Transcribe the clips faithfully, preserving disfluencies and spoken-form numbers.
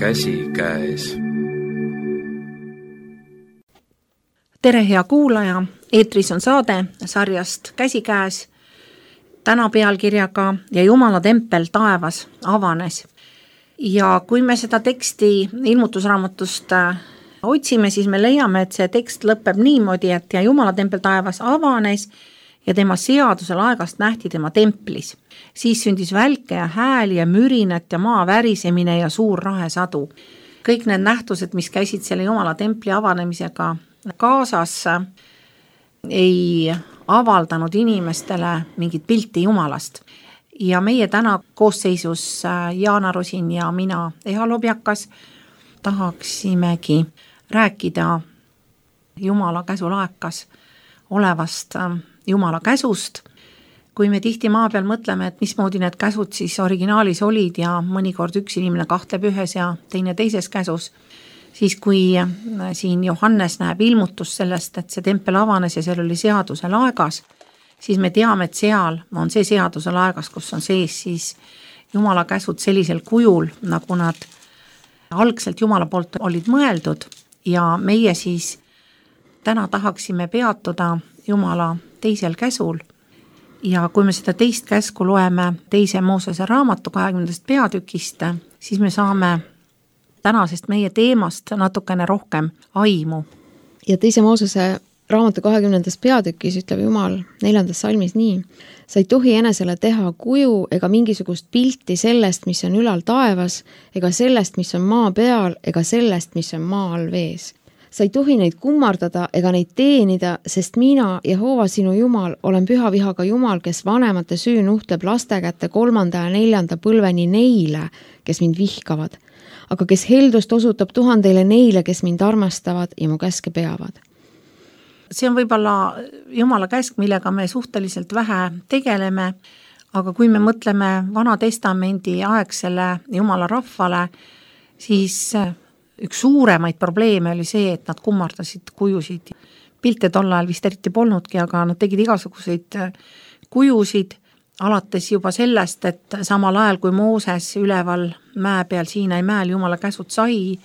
Käsi käes. Tere hea kuulaja, eetris on saade sarjast Käsi käes, täna pealkirjaga Ja Jumala tempel taevas avanes. Ja kui me seda teksti ilmutusraamatust otsime, siis me leiame, et see tekst lõpeb niimoodi, et ja Jumala tempel taevas avanes ja tema seadusel aegast nähti tema templis. Siis sündis välke ja hääli ja mürinet ja maa värisemine ja suur rahesadu. Kõik need nähtused, mis käisid selle Jumala templi avanemisega kaasas, ei avaldanud inimestele mingit pilti Jumalast. Ja meie täna koosseisus Jaana Rosin ja mina, Eha Lobjakas, tahaksimegi rääkida Jumala käsulaekas olevast Jumala käsust. Kui me tihti maa peal mõtleme, et mismoodi need käsud siis originaalis olid ja mõnikord üks inimene kahtleb ühes ja teine teises käsus, siis kui siin Johannes näeb ilmutust sellest, et see tempel avanes ja seal oli seaduse laegas, siis me teame, et seal on see seaduse laegas, kus on sees siis Jumala käsud sellisel kujul, nagu nad algselt Jumala poolt olid mõeldud ja meie siis täna tahaksime peatuda Jumala teisel käsul. Ja kui me seda teist käsku loeme teise Moosese raamatu kahekümnendast peatükist, siis me saame tänasest meie teemast natukene rohkem aimu. Ja teise Moosese raamatu kahekümnendast peatükis ütleb Jumal neljandas salmis nii: sa ei tohi enesele teha kuju ega mingisugust pilti sellest, mis on ülal taevas, ega sellest, mis on maa peal, ega sellest, mis on maa all vees. Sa ei tohi neid kummardada ega neid teenida, sest mina, Jehova sinu Jumal, olen püha vihaga Jumal, kes vanemate süü nuhtleb laste kätte kolmanda ja neljanda põlveni neile, kes mind vihkavad, aga kes heldust osutab tuhandeile neile, kes mind armastavad ja mu käske peavad. See on võib-olla Jumala käsk, millega me suhteliselt vähe tegeleme, aga kui me mõtleme Vana Testamendi aegsele Jumala rahvale, siis üks suuremaid probleeme oli see, et nad kummardasid kujusid. Pilte tol ajal vist eriti polnudki, aga nad tegid igasuguseid kujusid, alates juba sellest, et samal ajal kui Mooses üleval mäe peal Siinai mäel Jumala käsud sai,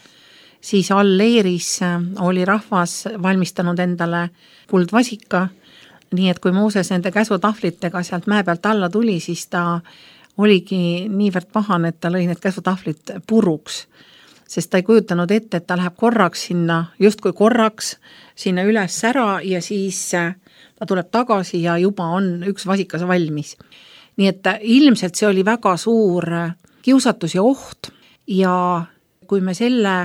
siis all leeris oli rahvas valmistanud endale kuldvasika, nii et kui Mooses nende käsutahvlitega sealt mäe pealt alla tuli, siis ta oligi niivõrd pahane, et ta lõi need käsutahvlit puruks, sest ta ei kujutanud ette, et ta läheb korraks sinna, justkui korraks sinna üles ära ja siis ta tuleb tagasi ja juba on üks vasikas valmis. Nii et ilmselt see oli väga suur kiusatus ja oht ja kui me selle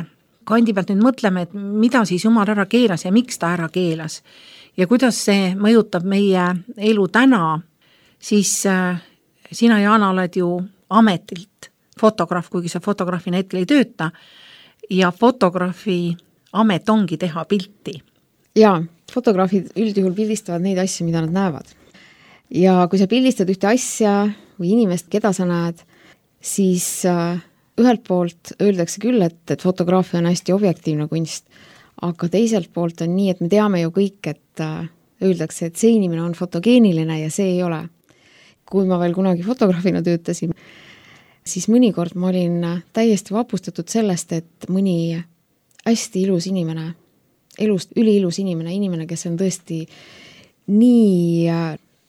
kandi pealt nüüd mõtleme, et mida siis Jumal ära keelas ja miks ta ära keelas ja kuidas see mõjutab meie elu täna, siis sina, Jaana, oled ju ametilt fotograaf, kuigi see fotograafina hetkel ei tööta ja fotograafi amet ongi teha pilti. Jaa, fotograafid üldjuhul pildistavad neid asju, mida nad näevad. Ja kui sa pildistad ühte asja või inimest, keda sa näed, siis ühelt poolt öeldakse küll, et, et fotograafia on hästi objektiivne kunst, aga teiselt poolt on nii, et me teame ju kõik, et öeldakse, et see inimene on fotogeeniline ja see ei ole. Kui ma veel kunagi fotograafina töötasin, siis mõnikord ma olin täiesti vapustatud sellest, et mõni hästi ilus inimene, elust üliilus inimene, inimene, kes on tõesti nii,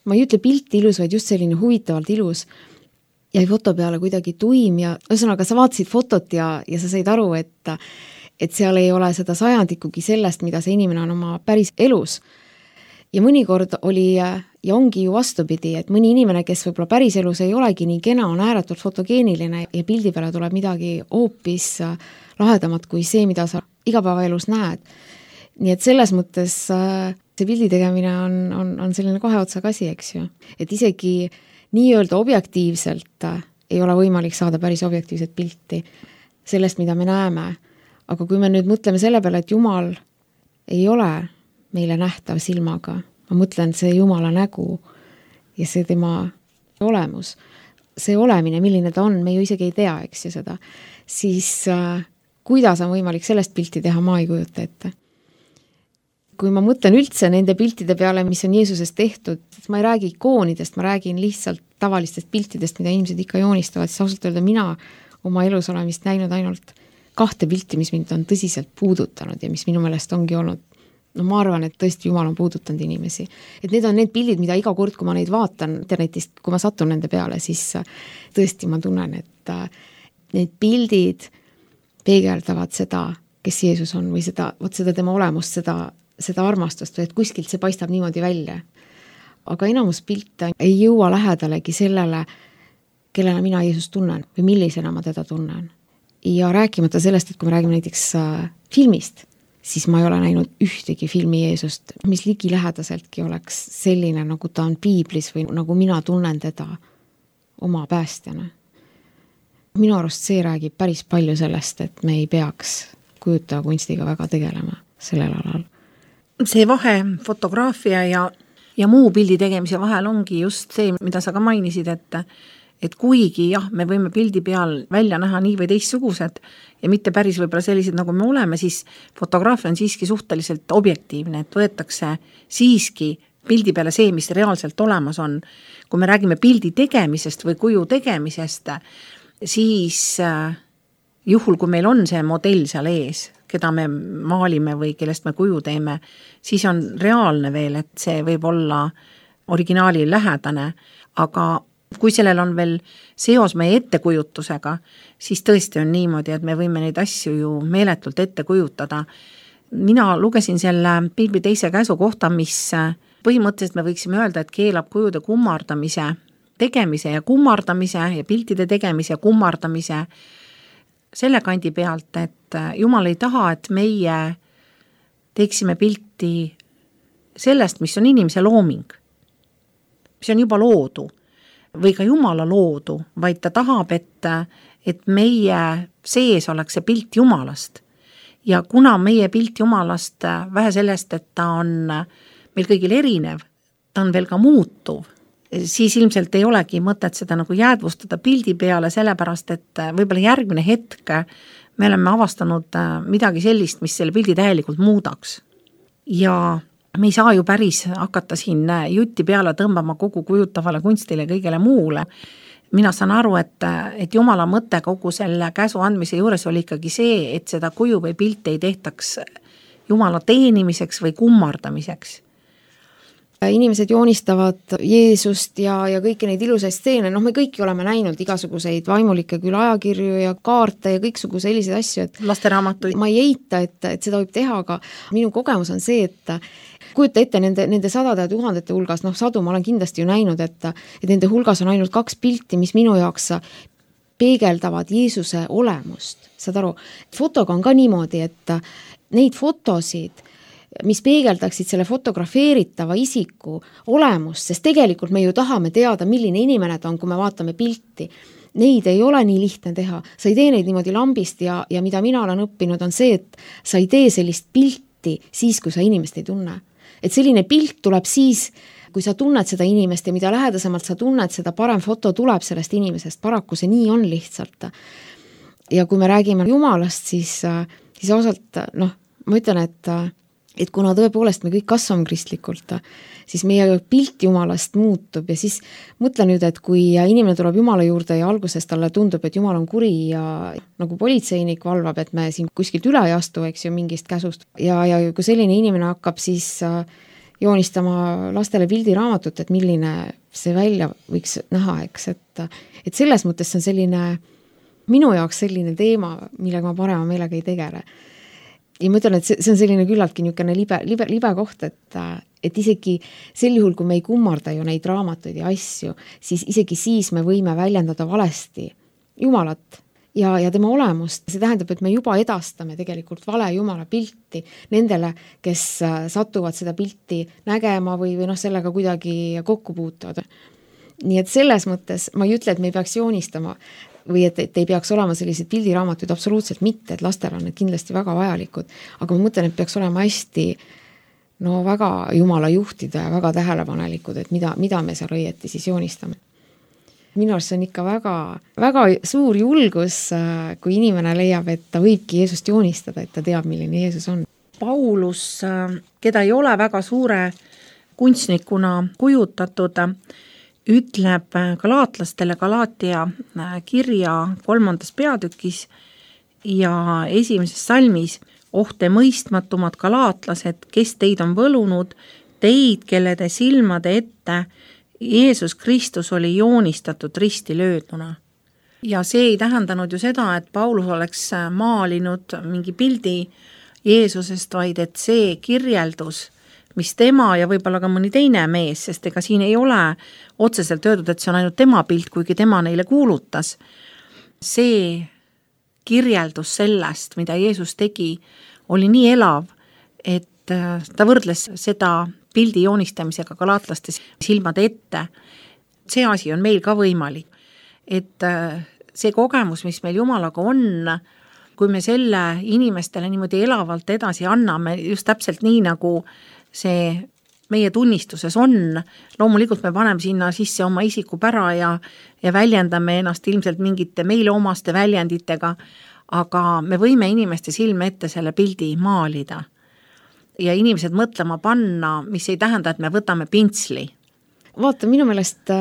ma ei ütle pilti ilus, vaid just selline huvitavalt ilus, jäi foto peale kuidagi tuim ja ühesõnaga sa vaatasid fotot ja, ja sa said aru, et, et seal ei ole seda sajandikugi sellest, mida see inimene on oma päris elus. Ja mõnikord oli ja ongi ju vastupidi, et mõni inimene, kes võib-olla päris elus ei olegi nii kena, on ääretult fotogeeniline ja pildi peale tuleb midagi hoopis lahedamat kui see, mida sa igapäevaelus näed. Nii et selles mõttes see pildi tegemine on, on, on selline kahe otsaga asi, eks ju. Et isegi nii-öelda objektiivselt ei ole võimalik saada päris objektiivset pilti sellest, mida me näeme. Aga kui me nüüd mõtleme selle peale, et Jumal ei ole meile nähtav silmaga, ma mõtlen see Jumala nägu ja see tema olemus, see olemine, milline ta on, me ju isegi ei tea, eks ju seda, siis äh, kuidas on võimalik sellest pilti teha, ma ei kujuta ette. Kui ma mõtlen üldse nende piltide peale, mis on Jeesusest tehtud, ma ei räägi ikoonidest, ma räägin lihtsalt tavalistest piltidest, mida inimesed ikka joonistavad, siis ausalt öelda mina oma elus olen vist näinud ainult kahte pilti, mis mind on tõsiselt puudutanud ja mis minu meelest ongi olnud, no ma arvan, et tõesti Jumal on puudutanud inimesi. Et need on need pildid, mida iga kord, kui ma neid vaatan internetist, kui ma satun nende peale, siis tõesti ma tunnen, et need pildid peegeldavad seda, kes Jeesus on või seda, võt seda tema olemust, seda, seda armastust või et kuskilt see paistab niimoodi välja. Aga enamus pilte ei jõua lähedalegi sellele, kellena mina Jeesus tunnen või millisena ma teda tunnen. Ja rääkimata sellest, et kui me räägime näiteks filmist, siis ma ei ole näinud ühtegi filmi Jeesust, mis ligilähedaseltki oleks selline, nagu ta on piiblis või nagu mina tunnen teda oma päästjana. Minu arust see räägib päris palju sellest, et me ei peaks kujutaja kunstiga väga tegelema sellel alal. See vahe fotograafia ja, ja muu pildi tegemise vahel ongi just see, mida sa ka mainisid, et et kuigi jah, me võime pildi peal välja näha nii või teistsugused ja mitte päris võib-olla sellised, nagu me oleme, siis fotograafia on siiski suhteliselt objektiivne, et võetakse siiski pildi peale see, mis reaalselt olemas on. Kui me räägime pildi tegemisest või kuju tegemisest, siis juhul, kui meil on see modell seal ees, keda me maalime või kellest me kuju teeme, siis on reaalne veel, et see võib olla originaali lähedane, aga kui sellel on veel seos meie ettekujutusega, siis tõesti on niimoodi, et me võime neid asju ju meeletult ette kujutada. Mina lugesin selle Piibli teise käsu kohta, mis põhimõtteliselt me võiksime öelda, et keelab kujude kummardamise, tegemise ja kummardamise ja piltide tegemise ja kummardamise selle kandi pealt, et Jumal ei taha, et meie teeksime pilti sellest, mis on inimese looming, mis on juba loodu või ka Jumala loodu, vaid ta tahab, et, et meie sees oleks see pilt Jumalast. Ja kuna meie pilt Jumalast vähe sellest, et ta on meil kõigil erinev, ta on veel ka muutuv, siis ilmselt ei olegi mõtet seda nagu jäädvustada pildi peale, sellepärast, et võib-olla järgmine hetk me oleme avastanud midagi sellist, mis selle pildi täielikult muudaks. Ja me ei saa ju päris hakata siin jutti peale tõmbama kogu kujutavale kunstile kõigele muule. Mina saan aru, et, et Jumala mõte kogu selle käsu andmise juures oli ikkagi see, et seda kuju või pilti ei tehtaks Jumala teenimiseks või kummardamiseks. Inimesed joonistavad Jeesust ja, ja kõiki neid ilusaid steene, noh me kõiki oleme näinud igasuguseid vaimulikke küll ajakirju ja kaarte ja kõiksugu selliseid asju, et lasteraamatuid. Ma ei eita, et, et seda võib teha, aga minu kogemus on see, et kujuta ette nende, nende sadade ja tuhandete hulgas, noh sadu ma olen kindlasti ju näinud, et, et nende hulgas on ainult kaks pilti, mis minu jaoks peegeldavad Jeesuse olemust. Saad aru, fotoga on ka niimoodi, et neid fotosid, mis peegeldaksid selle fotografeeritava isiku olemust, sest tegelikult me ju tahame teada, milline inimene ta on, kui me vaatame pilti. Neid ei ole nii lihtne teha. Sa ei tee neid niimoodi lambist ja, ja mida mina olen õppinud on see, et sa ei tee sellist pilti siis, kui sa inimest ei tunne. Et selline pilt tuleb siis, kui sa tunned seda inimest ja mida lähedasemalt sa tunned, seda parem foto tuleb sellest inimesest. Paraku see nii on lihtsalt. Ja kui me räägime Jumalast, siis, siis ausalt, noh, ma ütlen, et et kuna tõepoolest me kõik kasvame kristlikult, siis meie pilt Jumalast muutub ja siis mõtle nüüd, et kui inimene tuleb Jumala juurde ja alguses talle tundub, et Jumal on kuri ja nagu politseinik valvab, et me siin kuskilt üle ei astu, eks ju, mingist käsust ja, ja kui selline inimene hakkab siis joonistama lastele pildiraamatut, et milline see välja võiks näha, eks, et, et selles mõttes see on selline, minu jaoks selline teema, millega ma parema meelega ei tegele. Ja ma ütlen, et see, see on selline küllaltki niisugune libe, libe, libe koht, et, et isegi sel juhul, kui me ei kummarda ju neid raamatuid ja asju, siis isegi siis me võime väljendada valesti Jumalat ja, ja tema olemust. See tähendab, et me juba edastame tegelikult vale Jumala pilti nendele, kes satuvad seda pilti nägema või, või noh, sellega kuidagi kokku puutuvad. Nii et selles mõttes ma ei ütle, et me ei peaks joonistama või et, et ei peaks olema sellised pildiraamatuid, absoluutselt mitte, et lastel on need kindlasti väga vajalikud, aga ma mõtlen, et peaks olema hästi no väga Jumala juhtida ja väga tähelepanelikud, et mida, mida me seal õieti siis joonistame. Minu arust on ikka väga, väga suur julgus, kui inimene leiab, et ta võibki Jeesust joonistada, et ta teab, milline Jeesus on. Paulus, keda ei ole väga suure kunstnikuna kujutatud, ütleb galaatlastele Galaatia kirja kolmandas peatükis ja esimeses salmis: oh te mõistmatumad galaatlased, kes teid on võlunud, teid, kelle te silmade ette Jeesus Kristus oli joonistatud risti lööduna. Ja see ei tähendanud ju seda, et Paulus oleks maalinud mingi pildi Jeesusest, vaid et see kirjeldus, mis tema ja võib-olla ka mõni teine mees, sest ega siin ei ole otseselt öeldud, et see on ainult tema pilt, kuigi tema neile kuulutas. See kirjeldus sellest, mida Jeesus tegi, oli nii elav, et ta võrdles seda pildi joonistamisega galaatlaste silmade ette. See asi on meil ka võimalik, et see kogemus, mis meil Jumalaga on, kui me selle inimestele niimoodi elavalt edasi anname, just täpselt nii, nagu see meie tunnistuses on, loomulikult me paneme sinna sisse oma isikupära ja, ja väljendame ennast ilmselt mingite meile omaste väljenditega, aga me võime inimeste silme ette selle pildi maalida ja inimesed mõtlema panna, mis ei tähenda, et me võtame pintsli. Vaata, minu meelest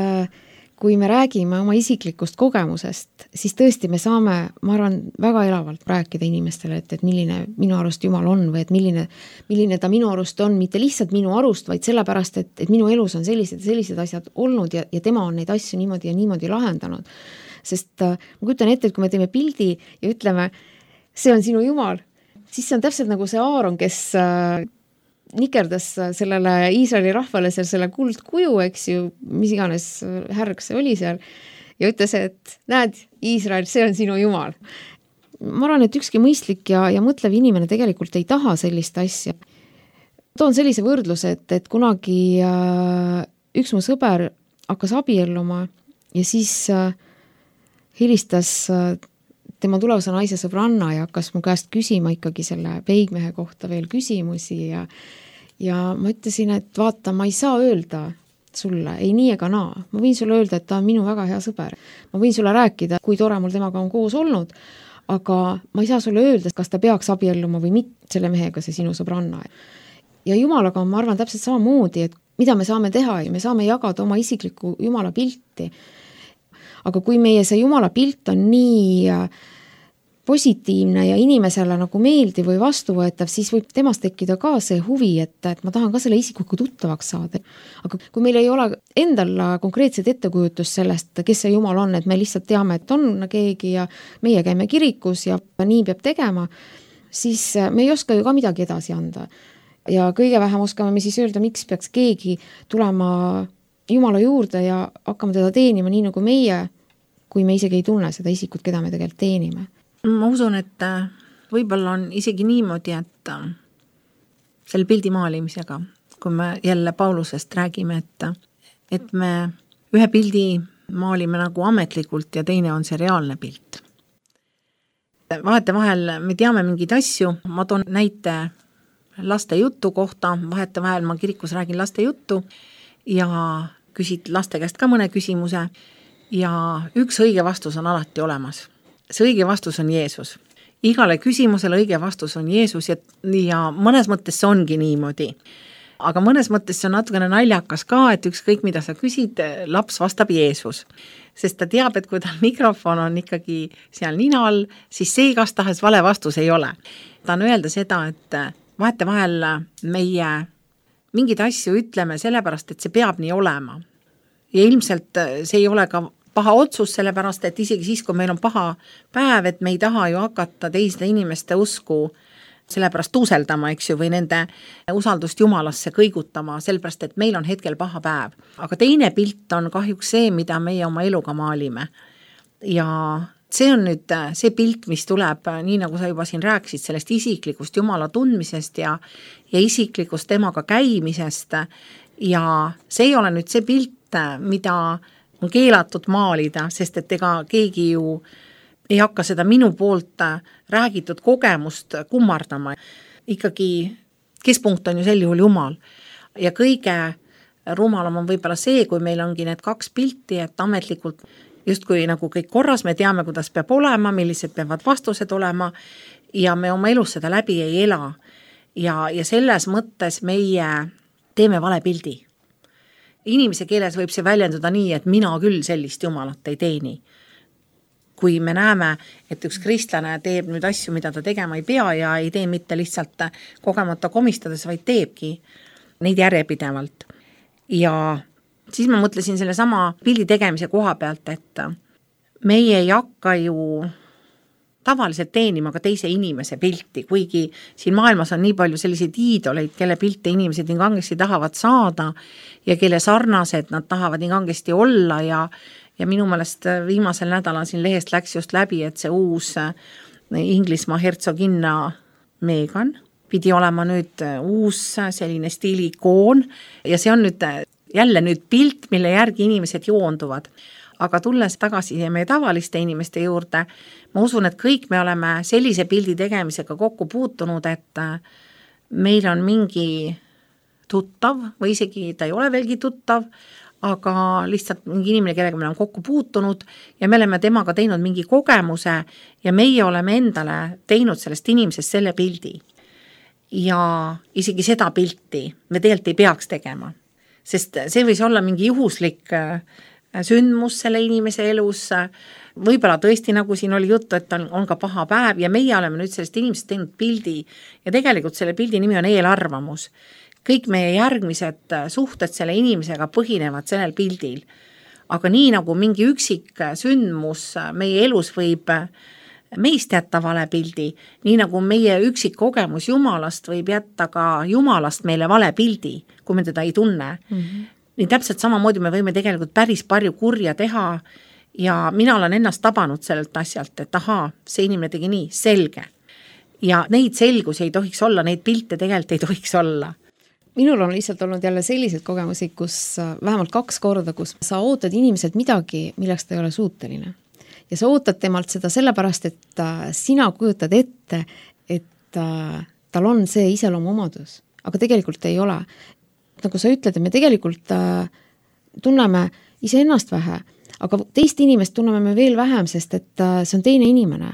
kui me räägime oma isiklikust kogemusest, siis tõesti me saame, ma arvan, väga elavalt rääkida inimestele, et, et milline minu arust Jumal on või et milline, milline ta minu arust on, mitte lihtsalt minu arust, vaid sellepärast, et, et minu elus on sellised, sellised asjad olnud ja, ja tema on neid asju niimoodi ja niimoodi lahendanud. Sest ma kujutan ette, et kui me teeme pildi ja ütleme, see on sinu Jumal, siis see on täpselt nagu see Aaron, kes nikerdas sellele Iisraeli rahvale seal selle kuldkuju, eks ju, mis iganes härg see oli seal, ja ütles, et näed, Iisrael, see on sinu Jumal. Ma arvan, et ükski mõistlik ja, ja mõtlev inimene tegelikult ei taha sellist asja. Toon sellise võrdluse, et, et kunagi äh, üks mu sõber hakkas abielluma ja siis äh, helistas äh, tema tulevase naise sõbranna ja hakkas mu käest küsima ikkagi selle peigmehe kohta veel küsimusi ja, ja ma ütlesin, et vaata, ma ei saa öelda sulle, ei nii ega naa. Ma võin sulle öelda, et ta on minu väga hea sõber. Ma võin sulle rääkida, kui tore mul temaga on koos olnud, aga ma ei saa sulle öelda, kas ta peaks abielluma või mitte selle mehega, see sinu sõbranna. Ja Jumalaga on, ma arvan, täpselt samamoodi, et mida me saame teha ja me saame jagada oma isiklikku Jumala pilti. Aga kui meie see Jumala pilt on nii positiivne ja inimesele nagu meeldiv või vastuvõetav, siis võib temast tekkida ka see huvi, et, et ma tahan ka selle isikuga tuttavaks saada. Aga kui meil ei ole endal konkreetset ettekujutust sellest, kes see Jumal on, et me lihtsalt teame, et on keegi ja meie käime kirikus ja nii peab tegema, siis me ei oska ju ka midagi edasi anda. Ja kõige vähem oskame me siis öelda, miks peaks keegi tulema Jumala juurde ja hakkama teda teenima nii nagu meie, kui me isegi ei tunne seda isikut, keda me tegelikult teenime. Ma usun, et võib-olla on isegi niimoodi, et selle pildi maalimisega, kui me jälle Paulusest räägime, et, et me ühe pildi maalime nagu ametlikult ja teine on see reaalne pilt. Vahete vahel me teame mingeid asju, ma toon näite laste jutu kohta, vahete vahel ma kirikus räägin laste juttu ja küsid laste käest ka mõne küsimuse ja üks õige vastus on alati olemas. See õige vastus on Jeesus. Igale küsimusele õige vastus on Jeesus ja, ja mõnes mõttes see ongi niimoodi. Aga mõnes mõttes see on natukene naljakas ka, et ükskõik mida sa küsid, laps vastab Jeesus. Sest ta teab, et kui tal mikrofon on ikkagi seal nina all, siis see igas tahes vale vastus ei ole. Ta on öelda seda, et vahete vahel meie mingeid asju ütleme sellepärast, et see peab nii olema. Ja ilmselt see ei ole ka paha otsus, sellepärast, et isegi siis, kui meil on paha päev, et me ei taha ju hakata teiste inimeste usku sellepärast tuuseldama, eks ju, või nende usaldust Jumalasse kõigutama, sellepärast, et meil on hetkel paha päev. Aga teine pilt on kahjuks see, mida meie oma eluga maalime. Ja see on nüüd see pilt, mis tuleb, nii nagu sa juba siin rääkisid, sellest isiklikust Jumala tundmisest ja, ja isiklikust temaga käimisest. Ja see ei ole nüüd see pilt, mida on keelatud maalida, sest et ega keegi ju ei hakka seda minu poolt räägitud kogemust kummardama. Ikkagi keskpunkt on ju sel juhul Jumal. Ja kõige rumalam on võib-olla see, kui meil ongi need kaks pilti, et ametlikult justkui nagu kõik korras, me teame, kuidas peab olema, millised peavad vastused olema ja me oma elus seda läbi ei ela. Ja, ja selles mõttes meie teeme vale pildi. Inimese keeles võib see väljenduda nii, et mina küll sellist Jumalat ei teeni. kui me näeme, et üks kristlane teeb nüüd asju, mida ta tegema ei pea ja ei tee mitte lihtsalt kogemata komistades, vaid teebki neid järjepidevalt. Ja siis ma mõtlesin selle sama pildi tegemise koha pealt, et meie ei hakka ju tavaliselt teenima ka teise inimese pilti, kuigi siin maailmas on nii palju selliseid iidoleid, kelle pilte inimesed nii kangesti tahavad saada ja kelle sarnased nad tahavad nii kangesti olla ja, ja minu meelest viimasel nädalal siin lehest läks just läbi, et see uus Inglismaa hertsoginna Meghan pidi olema nüüd uus selline stiilikoon ja see on nüüd jälle nüüd pilt, mille järgi inimesed joonduvad. Aga tulles tagasi meie tavaliste inimeste juurde, ma usun, et kõik me oleme sellise pildi tegemisega kokku puutunud, et meil on mingi tuttav või isegi ta ei ole veelgi tuttav, aga lihtsalt mingi inimene, kellega me oleme kokku puutunud ja me oleme temaga teinud mingi kogemuse ja meie oleme endale teinud sellest inimesest selle pildi. Ja isegi seda pilti me tegelikult ei peaks tegema, sest see võis olla mingi juhuslik sündmus selle inimese elus, võib-olla tõesti, nagu siin oli juttu, et on, on ka paha päev ja meie oleme nüüd sellest inimesest teinud pildi ja tegelikult selle pildi nimi on eelarvamus. Kõik meie järgmised suhted selle inimesega põhinevad sellel pildil, aga nii nagu mingi üksik sündmus meie elus võib meist jätta vale pildi, nii nagu meie üksik kogemus Jumalast võib jätta ka Jumalast meile vale pildi, kui me teda ei tunne. Mm-hmm. Nii täpselt samamoodi me võime tegelikult päris palju kurja teha ja mina olen ennast tabanud sellelt asjalt, et ahaa, see inimene tegi nii, selge. Ja neid selgusi ei tohiks olla, neid pilte tegelikult ei tohiks olla. Minul on lihtsalt olnud jälle sellised kogemusi, kus vähemalt kaks korda, kus sa ootad inimeselt midagi, milleks ta ei ole suuteline. Ja sa ootad temalt seda sellepärast, et sina kujutad ette, et tal on see iseloomu omadus, aga tegelikult ei ole. Nagu sa ütled, et me tegelikult äh, tunneme iseennast vähe, aga teist inimest tunneme me veel vähem, sest et äh, see on teine inimene.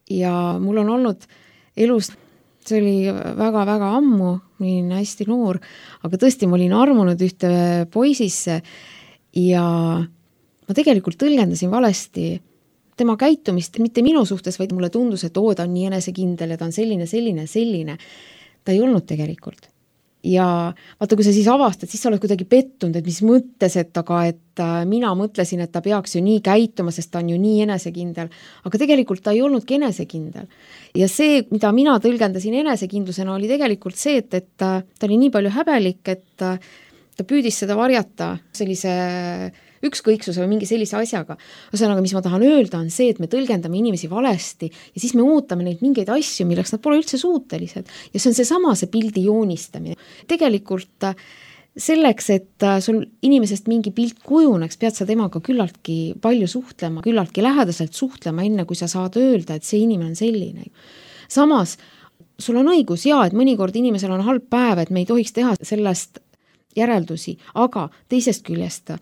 Ja mul on olnud elus, see oli väga-väga ammu, ma olin hästi noor, aga tõesti ma olin armunud ühte poisisse ja ma tegelikult tõlgendasin valesti tema käitumist, mitte minu suhtes, vaid mulle tundus, et oo, ta on nii enesekindel ja ta on selline, selline, selline. Ta ei olnud tegelikult. Ja vaata, kui sa siis avastad, siis sa oled kuidagi pettunud, et mis mõttes, et aga et mina mõtlesin, et ta peaks ju nii käituma, sest ta on ju nii enesekindel, aga tegelikult ta ei olnudki enesekindel. Ja see, mida mina tõlgendasin enesekindlusena, oli tegelikult see, et, et ta oli nii palju häbelik, et ta püüdis seda varjata sellise ükskõiksuse või mingi sellise asjaga. Ühesõnaga, mis ma tahan öelda, on see, et me tõlgendame inimesi valesti ja siis me ootame neid mingeid asju, milleks nad pole üldse suutelised. Ja see on see sama, see pildi joonistamine. Tegelikult selleks, et sul inimesest mingi pilt kujuneks, pead sa temaga küllaltki palju suhtlema, küllaltki lähedaselt suhtlema, enne kui sa saad öelda, et see inimene on selline. Samas, sul on õigus, jaa, et mõnikord inimesel on halb päev, et me ei tohiks teha sellest järeldusi, aga teisest küljest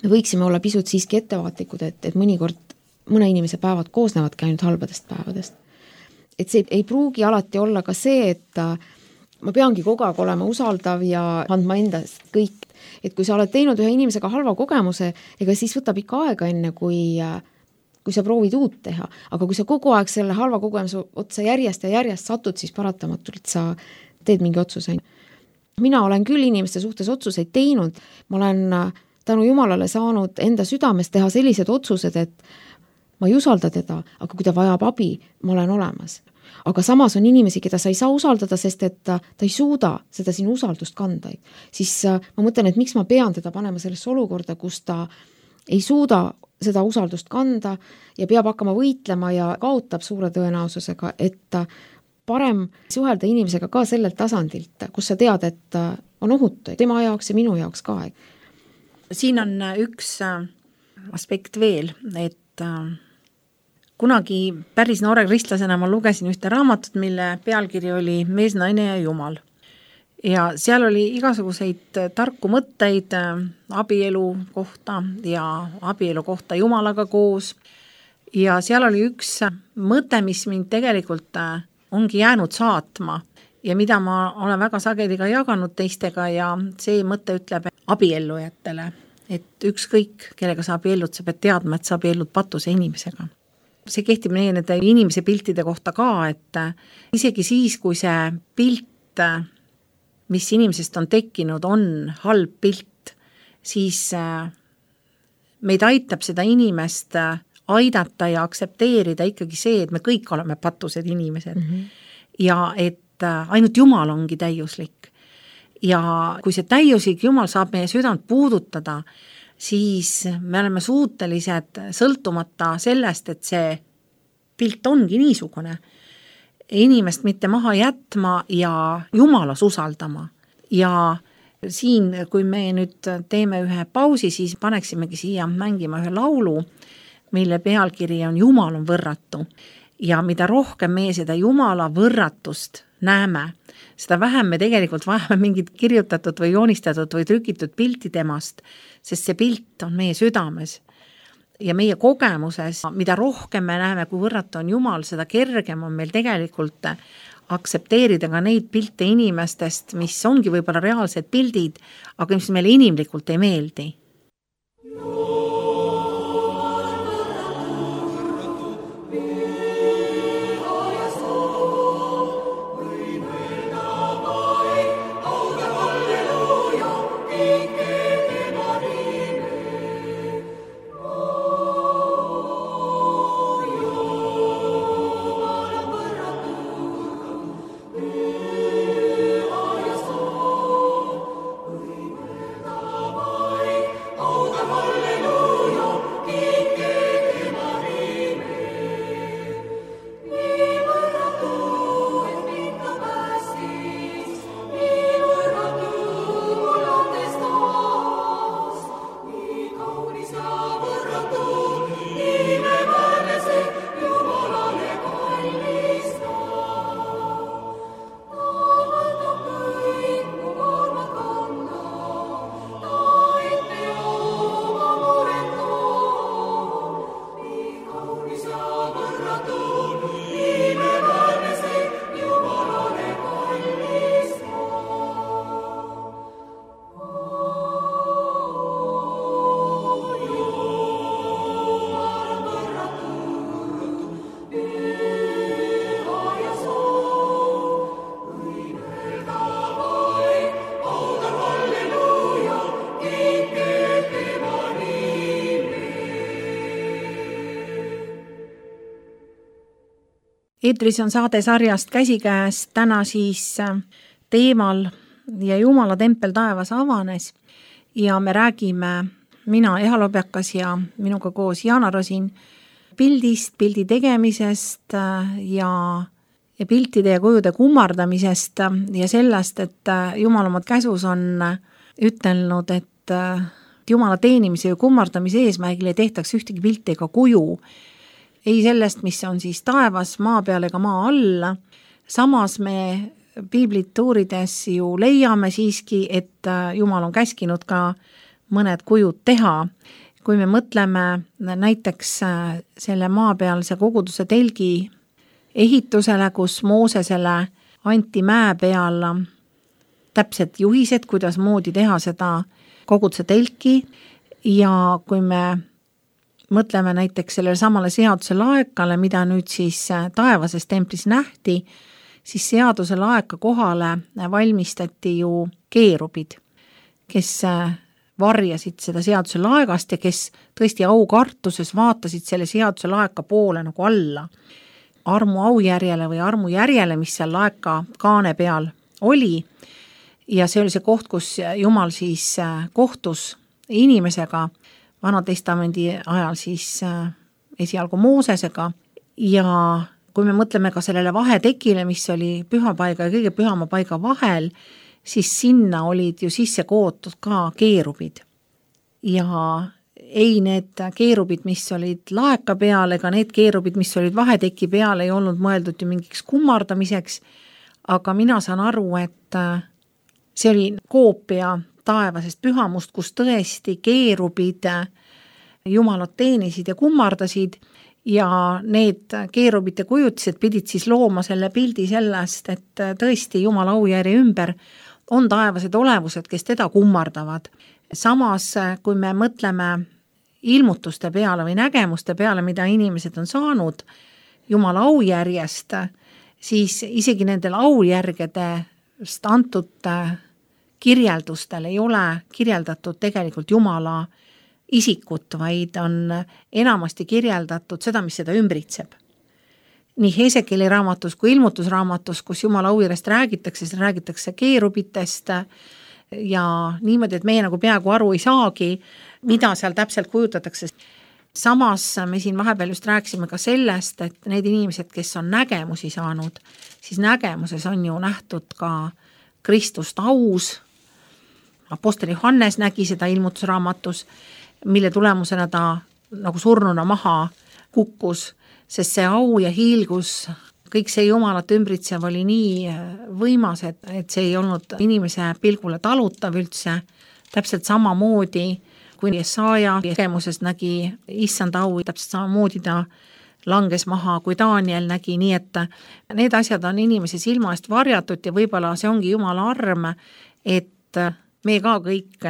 me võiksime olla pisut siiski ettevaatlikud, et, et mõnikord mõne inimese päevad koosnevadki ainult halbadest päevadest. Et see ei pruugi alati olla ka see, et ma peangi kogu aeg olema usaldav ja andma endast kõik. Et kui sa oled teinud ühe inimesega halva kogemuse, ega siis võtab ikka aega enne, kui, kui sa proovid uut teha. Aga kui sa kogu aeg selle halva kogemuse otsa järjest ja järjest satud, siis paratamatult sa teed mingi otsuse. Mina olen küll inimeste suhtes otsuseid teinud, ma olen tänu Jumalale saanud enda südames teha sellised otsused, et ma ei usalda teda, aga kui ta vajab abi, ma olen olemas. Aga samas on inimesi, keda sa ei saa usaldada, sest et ta, ta ei suuda seda sinu usaldust kanda. Siis ma mõtlen, et miks ma pean teda panema sellesse olukorda, kus ta ei suuda seda usaldust kanda ja peab hakkama võitlema ja kaotab suure tõenäosusega, et parem suhelda inimesega ka sellelt tasandilt, kus sa tead, et on ohutu tema jaoks ja minu jaoks ka. Siin on üks aspekt veel, et kunagi päris noore kristlasena ma lugesin ühte raamatut, mille pealkiri oli Mees, naine ja Jumal. Ja seal oli igasuguseid tarku mõtteid abielu kohta ja abielu kohta Jumalaga koos. Ja seal oli üks mõte, mis mind tegelikult ongi jäänud saatma ja mida ma olen väga sageli ka jaganud teistega ja see mõte ütleb abiellujatele, et ükskõik, kellega sa abiellud, sa pead teadma, et sa abiellud patuse inimesega. See kehtib meie nende inimese piltide kohta ka, et isegi siis, kui see pilt, mis inimesest on tekkinud, on halb pilt, siis meid aitab seda inimest aidata ja aktsepteerida ikkagi see, et me kõik oleme patused inimesed mm-hmm. ja et ainult Jumal ongi täiuslik. Ja kui see täiuslik Jumal saab meie südant puudutada, siis me oleme suutelised sõltumata sellest, et see pilt ongi niisugune, inimest mitte maha jätma ja Jumalas usaldama. Ja siin, kui me nüüd teeme ühe pausi, siis paneksimegi siia mängima ühe laulu, mille pealkiri on Jumal on võrratu. Ja mida rohkem me seda Jumala võrratust näeme, seda vähem me tegelikult vajame mingit kirjutatud või joonistatud või trükitud pilti temast, sest see pilt on meie südames ja meie kogemuses, mida rohkem me näeme, kui võrratu on Jumal, seda kergem on meil tegelikult aktsepteerida ka neid pilte inimestest, mis ongi võib-olla reaalsed pildid, aga mis meile inimlikult ei meeldi. Eetris on saade sarjast Käsikäes, täna siis teemal ja Jumala tempel taevas avanes ja me räägime, mina Eha Lobjakas ja minuga koos Jaana Rosin, pildist, pildi tegemisest ja, ja piltide ja kujude kummardamisest ja sellest, et Jumal omad käsus on ütelnud, et Jumala teenimise ja kummardamise eesmärgil ei tehtaks ühtegi pilti ega kuju, ei sellest, mis on siis taevas, maa peal ega maa alla. Samas me piiblit uurides ju leiame siiski, et Jumal on käskinud ka mõned kujud teha. Kui me mõtleme näiteks selle maa pealse koguduse telgi ehitusele, kus Moosesele anti mäe peal täpsed juhised, kuidas moodi teha seda koguduse telki ja kui me mõtleme näiteks sellele samale seaduse laekale, mida nüüd siis taevases templis nähti, siis seaduse laeka kohale valmistati ju keerubid, kes varjasid seda seaduse laegast ja kes tõesti aukartuses vaatasid selle seaduse laeka poole nagu alla. Armu aujärjele või armu järjele, mis seal laeka kaane peal oli ja see oli see koht, kus Jumal siis kohtus inimesega Vanatestamendi ajal siis esialgu Moosesega ja kui me mõtleme ka sellele vahetekile, mis oli pühapaiga ja kõige pühama paiga vahel, siis sinna olid ju sisse kootud ka keerubid. Ja ei need keerubid, mis olid laeka peal, ega need keerubid, mis olid vaheteki peal, ei olnud mõeldud ju mingiks kummardamiseks, aga mina saan aru, et see oli koopia taevasest pühamust, kus tõesti keerubid Jumalat teenisid ja kummardasid ja need keerubite kujutised pidid siis looma selle pildi sellest, et tõesti Jumala aujärje ümber on taevased olevused, kes teda kummardavad. samas, kui me mõtleme ilmutuste peale või nägemuste peale, mida inimesed on saanud Jumala aujärjest, siis isegi nendel aujärgedest antud kirjeldustel ei ole kirjeldatud tegelikult Jumala isikut, vaid on enamasti kirjeldatud seda, mis seda ümbritseb. Nii Hesekieli raamatus kui ilmutusraamatus, kus Jumala aujärjest räägitakse, siis räägitakse keerubitest ja niimoodi, et meie nagu peaaegu aru ei saagi, mida seal täpselt kujutatakse. Samas me siin vahepeal just rääkisime ka sellest, et need inimesed, kes on nägemusi saanud, siis nägemuses on ju nähtud ka Kristust aus. Apostel Johannes nägi seda ilmutusraamatus, mille tulemusena ta nagu surnuna maha kukkus, sest see au ja hiilgus, kõik see Jumalat ümbritsev oli nii võimas, et, et see ei olnud inimese pilgule talutav üldse, täpselt samamoodi, kui Jesaja nägemuses nägi issand au, täpselt samamoodi ta langes maha, kui Daniel nägi, nii et need asjad on inimese silma eest varjatud ja võib-olla see ongi Jumala arm, et me ka kõik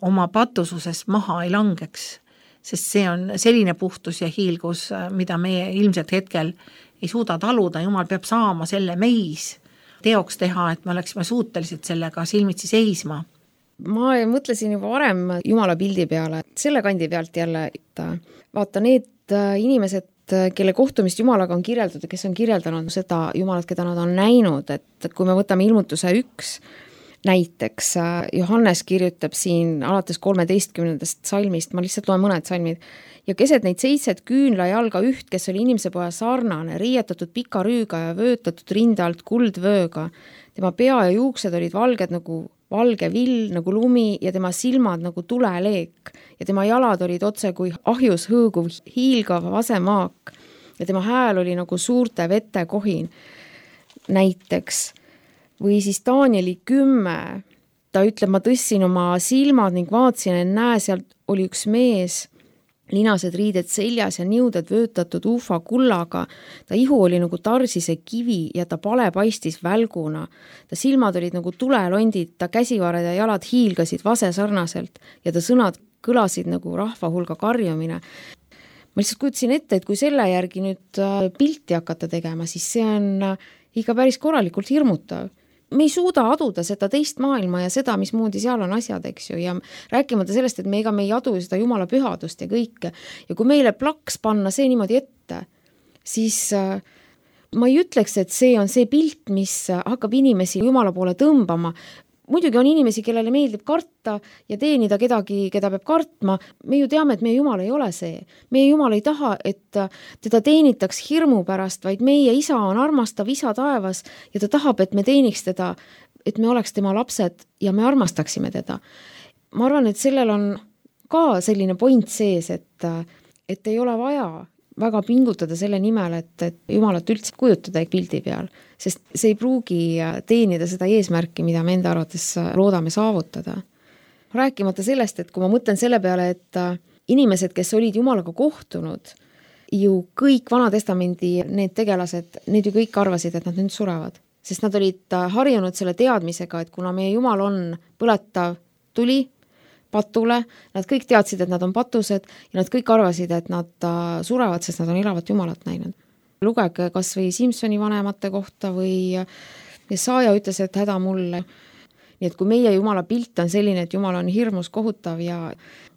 oma patususes maha ei langeks, sest see on selline puhtus ja hiilgus, mida me ilmselt hetkel ei suuda taluda. Jumal peab saama selle meis teoks teha, et me oleksime suutelised sellega silmitsi seisma. Ma mõtlesin juba varem Jumala pildi peale, selle kandi pealt jälle, et vaata need inimesed, kelle kohtumist Jumalaga on kirjeldatud, kes on kirjeldanud seda Jumalat, keda nad on näinud, et kui me võtame ilmutuse üks, näiteks Johannes kirjutab siin alates kolmeteistkümnendast salmist, ma lihtsalt loen mõned salmid, ja keset neid seitset küünla jalga üht, kes oli inimese poja sarnane, riietatud pika rüüga ja vöötatud rinde alt kuldvööga. Tema pea ja juuksed olid valged nagu valge vill, nagu lumi ja tema silmad nagu tuleleek ja tema jalad olid otse kui ahjus hõõguv hiilgav vasemaak ja tema hääl oli nagu suurte vete kohin. Näiteks või siis Danieli kümme, ta ütleb, ma tõssin oma silmad ning vaatsin, et näe, sealt oli üks mees, linased riided seljas ja niuded vöötatud ufa kullaga. Ta ihu oli nagu tarsise kivi ja ta pale paistis välguna. Ta silmad olid nagu tulelondid, ta käsivared ja jalad hiilgasid vase sarnaselt ja ta sõnad kõlasid nagu rahva hulga karjumine. Ma lihtsalt kujutasin ette, et kui selle järgi nüüd pilti hakata tegema, siis see on ikka päris korralikult hirmutav. Me ei suuda aduda seda teist maailma ja seda, mismoodi seal on asjad, eks ju, ja rääkimata sellest, et me ega me ei adu seda Jumala pühadust ja kõike. Ja kui meile plaks panna see niimoodi ette, siis ma ei ütleks, et see on see pilt, mis hakkab inimesi Jumala poole tõmbama. Muidugi on inimesi, kellele meeldib karta ja teenida kedagi, keda peab kartma. Me ju teame, et meie Jumal ei ole see. Meie Jumal ei taha, et teda teenitaks hirmu pärast, vaid meie isa on armastav isa taevas ja ta tahab, et me teeniks teda, et me oleks tema lapsed ja me armastaksime teda. Ma arvan, et sellel on ka selline point sees, et, et ei ole vaja väga pingutada selle nimel, et, et Jumalat üldse kujutada pildi peal, sest see ei pruugi teenida seda eesmärki, mida me enda arvates loodame saavutada. Rääkimata sellest, et kui ma mõtlen selle peale, et inimesed, kes olid Jumalaga kohtunud, ju kõik Vanatestamendi need tegelased, need ju kõik arvasid, et nad nüüd surevad, sest nad olid harjunud selle teadmisega, et kuna meie Jumal on põletav tuli, patule, nad kõik teadsid, et nad on patused ja nad kõik arvasid, et nad surevad, sest nad on elavat Jumalat näinud. Lugege kas või Simsoni vanemate kohta või Jesaja ütles, et häda mulle. Nii et kui meie Jumala pilt on selline, et Jumal on hirmus kohutav ja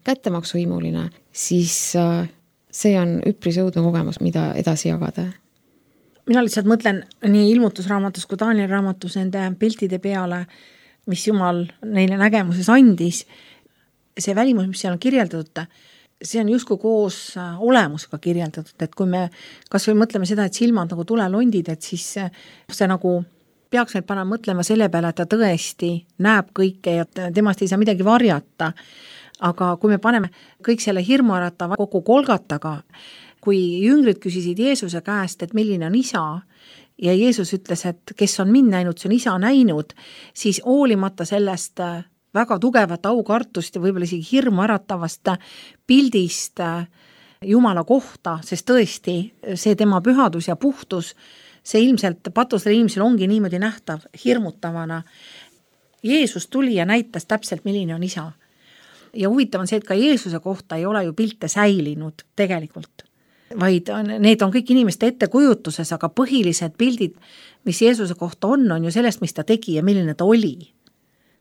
kättemaksuhimuline, siis see on üpris õudne kogemus, mida edasi jagada. Mina lihtsalt mõtlen nii ilmutusraamatus kui Danieli raamatus nende piltide peale, mis Jumal neile nägemuses andis. See välimus, mis seal on kirjeldatud, see on justkui koos olemusega kirjeldatud, et kui me kas või mõtleme seda, et silmad nagu tulelondid, et siis see nagu peaks meid panema mõtlema selle peale, et ta tõesti näeb kõike ja temast ei saa midagi varjata. Aga kui me paneme kõik selle hirmuäratava kogu Golgataga, kui jüngrid küsisid Jeesuse käest, et milline on isa, ja Jeesus ütles, et kes on mind näinud, see on isa näinud, siis hoolimata sellest väga tugevat aukartust ja võib-olla isegi hirmu äratavast pildist Jumala kohta, sest tõesti see tema pühadus ja puhtus, see ilmselt patusele inimesel ongi niimoodi nähtav hirmutavana. Jeesus tuli ja näitas täpselt, milline on isa. ja huvitav on see, et ka Jeesuse kohta ei ole ju pilte säilinud tegelikult, vaid need on kõik inimeste ettekujutuses, aga põhilised pildid, mis Jeesuse kohta on, on ju sellest, mis ta tegi ja milline ta oli.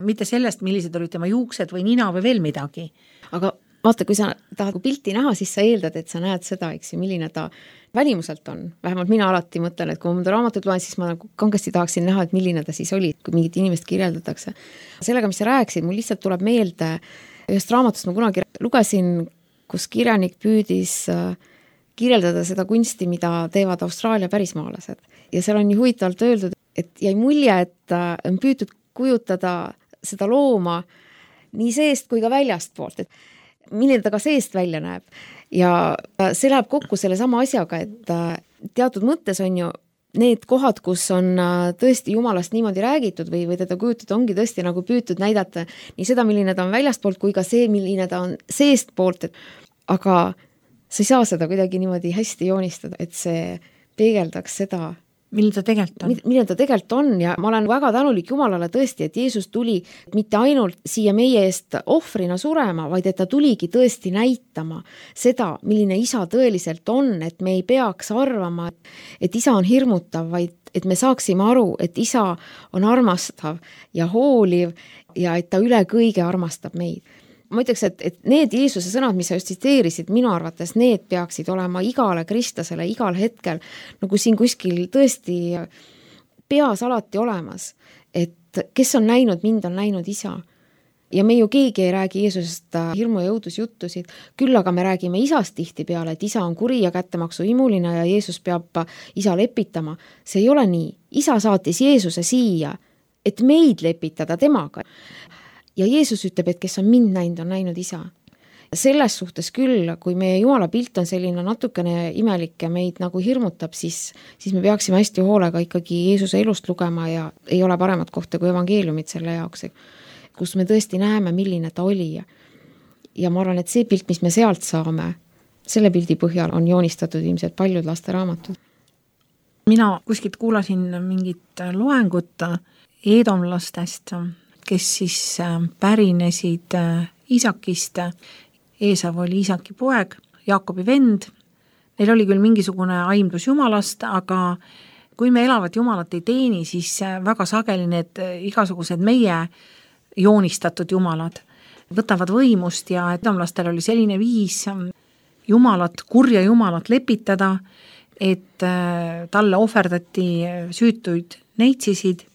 Mitte sellest, millised olid tema juuksed või nina või veel midagi. Aga vaata, kui sa tahad pilti näha, siis sa eeldad, et sa näed seda, eks ju, milline ta välimuselt on. Vähemalt mina alati mõtlen, et kui ma mõnda raamatut loen, siis ma nagu kangesti tahaksin näha, et milline ta siis oli, kui mingit inimest kirjeldatakse. Sellega, mis sa rääkisid, mul lihtsalt tuleb meelde ühest raamatust ma kunagi lugesin, kus kirjanik püüdis kirjeldada seda kunsti, mida teevad Austraalia pärismaalased. Ja seal on nii huvitavalt öeldud, et jäi mulje, et on püütud kujutada seda looma nii seest kui ka väljast poolt, et milline ta ka seest välja näeb. Ja see läheb kokku selle sama asjaga, et teatud mõttes on ju need kohad, kus on tõesti Jumalast niimoodi räägitud või, või teda kujutud, ongi tõesti nagu püütud näidata nii seda, milline ta on väljast poolt, kui ka see, milline ta on seest poolt, et aga sa ei saa seda kuidagi niimoodi hästi joonistada, et see peegeldaks seda, milline ta tegelikult on. Milline ta tegelikult on ja ma olen väga tänulik Jumalale tõesti, et Jeesus tuli mitte ainult siia meie eest ohvrina surema, vaid et ta tuligi tõesti näitama seda, milline isa tõeliselt on, et me ei peaks arvama, et isa on hirmutav, vaid et me saaksime aru, et isa on armastav ja hooliv ja et ta üle kõige armastab meid. Ma ütleks, et, et need Jeesuse sõnad, mis sa just tsiteerisid, minu arvates need peaksid olema igale kristlasele igal hetkel nagu siin kuskil tõesti peas alati olemas, et kes on näinud mind, on näinud isa. Ja me ju keegi ei räägi Jeesusest hirmu ja õudusjuttusid, küll aga me räägime isast tihti peale, et isa on kuri ja kättemaksu imuline ja Jeesus peab isa lepitama. See ei ole nii. Isa saatis Jeesuse siia, et meid lepitada temaga. Ja Jeesus ütleb, et kes on mind näinud, on näinud isa. Selles suhtes küll, kui meie Jumala pilt on selline natukene imelik ja meid nagu hirmutab, siis, siis me peaksime hästi hoolega ikkagi Jeesuse elust lugema ja ei ole paremat kohta kui evangeeliumid selle jaoks, kus me tõesti näeme, milline ta oli. Ja ma arvan, et see pilt, mis me sealt saame, selle pildi põhjal on joonistatud ilmselt paljud lasteraamatud. Mina kuskilt kuulasin mingit loengut eedomlastest, kes siis pärinesid Isakist. Eesav oli Isaki poeg, Jaakobi vend. Neil oli küll mingisugune aimdus Jumalast, aga kui me elavat Jumalat ei teeni, siis väga sageli need igasugused meie joonistatud Jumalad võtavad võimust ja eedomlastel oli selline viis Jumalat, kurja Jumalat lepitada, et talle ohverdati süütuid neitsisid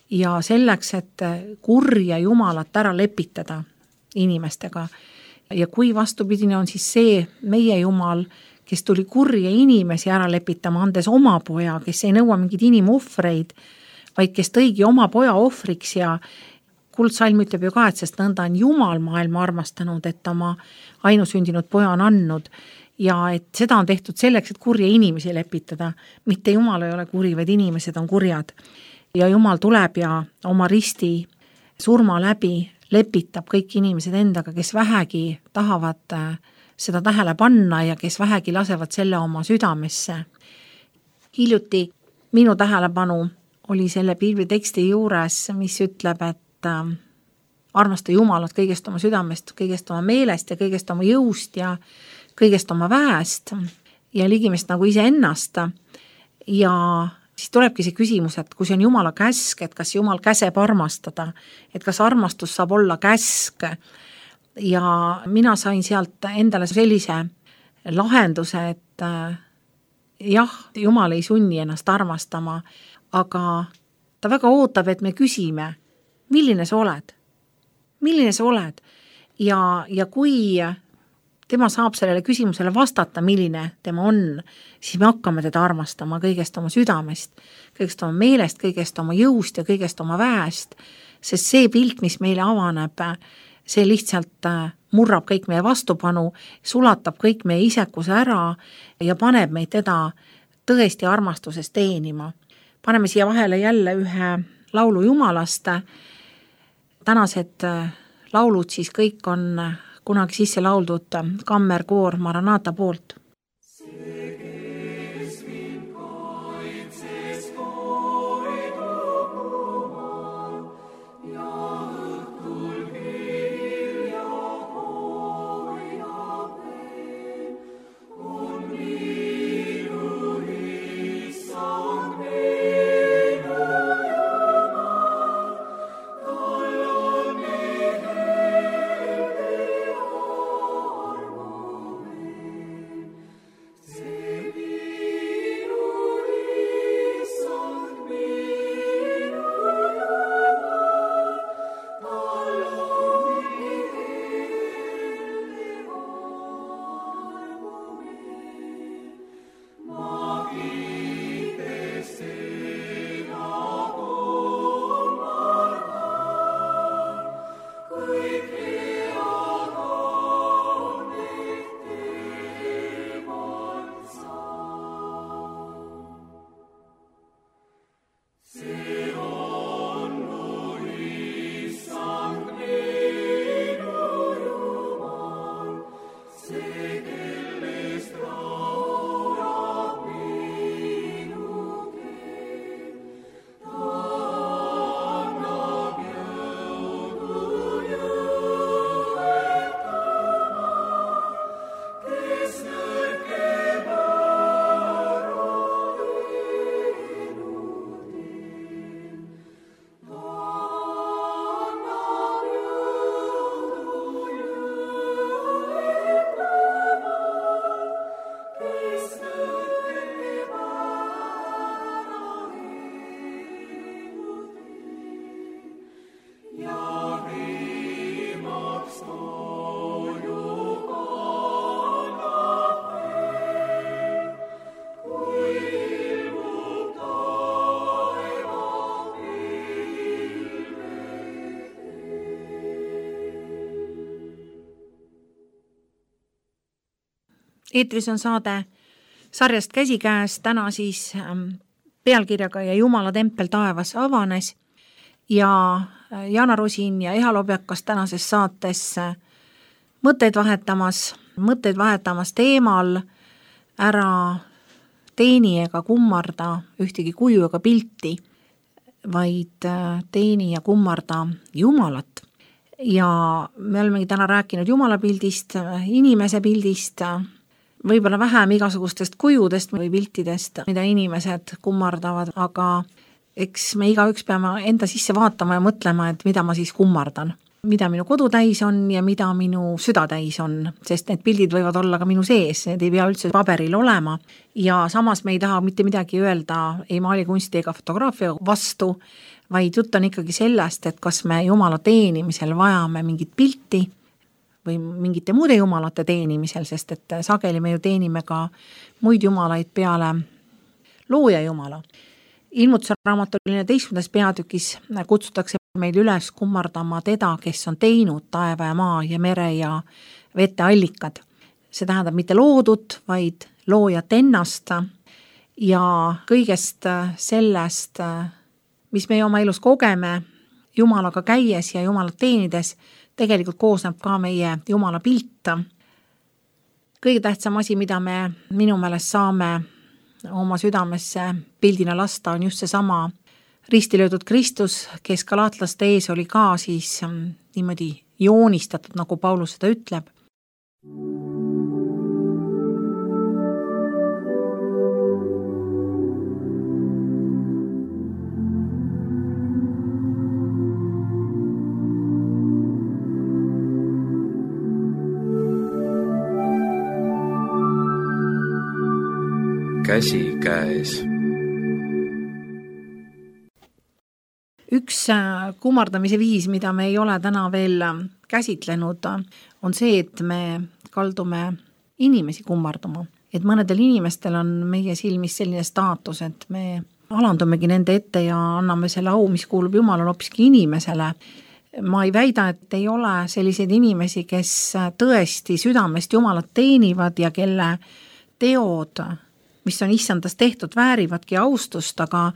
ja selleks, et kurja Jumalat ära lepitada inimestega. Ja kui vastupidine on siis see meie Jumal, kes tuli kurja inimesi ära lepitama, andes oma poja, kes ei nõua mingid inimohvreid, vaid kes tõigi oma poja ohvriks ja Kuldsalm ütleb ju ka, et sest nõnda on Jumal maailma armastanud, et oma ainusündinud poja on andnud ja et seda on tehtud selleks, et kurja inimesi lepitada. Mitte Jumal ei ole kuri, vaid inimesed on kurjad. Ja Jumal tuleb ja oma risti surma läbi lepitab kõik inimesed endaga, kes vähegi tahavad seda tähele panna ja kes vähegi lasevad selle oma südamesse. Hiljuti minu tähelepanu oli selle piibliteksti juures, mis ütleb, et armasta Jumalat kõigest oma südamest, kõigest oma meelest ja kõigest oma jõust ja kõigest oma väest ja ligimest nagu ise ennast ja siis tulebki see küsimus, et kui see on Jumala käsk, et kas Jumal käseb armastada, et kas armastus saab olla käsk. Ja mina sain sealt endale sellise lahenduse, et jah, Jumal ei sunni ennast armastama, aga ta väga ootab, et me küsime, milline sa oled? Milline sa oled? Ja, ja kui tema saab sellele küsimusele vastata, milline tema on, siis me hakkame teda armastama kõigest oma südamest, kõigest oma meelest, kõigest oma jõust ja kõigest oma väest, sest see pilt, mis meile avaneb, see lihtsalt murrab kõik meie vastupanu, sulatab kõik meie isekuse ära ja paneb meid teda tõesti armastuses teenima. Paneme siia vahele jälle ühe laulu Jumalast. Tänased laulud siis kõik on kunagi sisse lauldud kammerkoor Maranata poolt. Ja õhtul kirja eetris on saade sarjast Käsikäes, täna siis pealkirjaga Ja Jumala tempel taevas avanes ja Jana Rosin ja Eha Lobjakas tänases saates mõtteid vahetamas, mõtteid vahetamas teemal ära teeni ega kummarda ühtegi kuju ega pilti, vaid teeni ja kummarda Jumalat. Ja me olemegi täna rääkinud Jumala pildist, inimese pildist, võib-olla vähem igasugustest kujudest või piltidest, mida inimesed kummardavad, aga eks me igaüks peame enda sisse vaatama ja mõtlema, et mida ma siis kummardan. Mida minu kodu täis on ja mida minu süda täis on, sest need pildid võivad olla ka minu sees, need ei pea üldse paberil olema ja samas me ei taha mitte midagi öelda ei maalikunsti ega fotograafia vastu, vaid jutt on ikkagi sellest, et kas me Jumala teenimisel vajame mingit pilti või mingite muude jumalate teenimisel, sest et sageli me ju teenime ka muid jumalaid peale looja Jumala. Ilmutuse raamatu neljateistkümnendas peatükis kutsutakse meil üles kummardama teda, kes on teinud taeva ja maa ja mere ja vete allikad. See tähendab mitte loodut, vaid loojat ennast ja kõigest sellest, mis me oma elus kogeme Jumalaga käies ja Jumalat teenides, tegelikult koosneb ka meie Jumala pilt. Kõige tähtsam asi, mida me minu meelest saame oma südamesse pildina lasta, on just see sama ristilöödud Kristus, kes galaatlaste ees oli ka siis niimoodi joonistatud, nagu Paulus seda ütleb. Käsikäes. Üks kummardamise viis, mida me ei ole täna veel käsitlenud, on see, et me kaldume inimesi kummardama. Et mõnedel inimestel on meie silmis selline staatus, et me alandumegi nende ette ja anname selle au, mis kuulub Jumalale hoopiski inimesele. Ma ei väida, et ei ole selliseid inimesi, kes tõesti südamest Jumalat teenivad ja kelle teod, mis on issandast tehtud, väärivadki austust, aga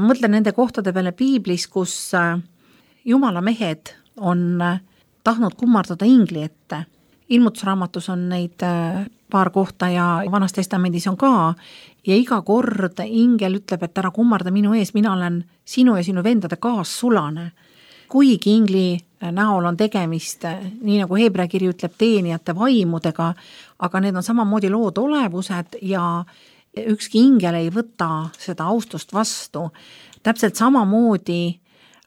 mõtlen nende kohtade peale piiblis, kus Jumala mehed on tahtnud kummardada ingli ette. Ilmutusraamatus on neid paar kohta ja Vanas Testamendis on ka ja iga kord ingel ütleb, et ära kummarda minu ees, mina olen sinu ja sinu vendade kaassulane. Kuigi ingli näol on tegemist, nii nagu Heebrea kiri ütleb, teenijate vaimudega, aga need on samamoodi lood olevused ja ükski ingel ei võta seda austust vastu. Täpselt samamoodi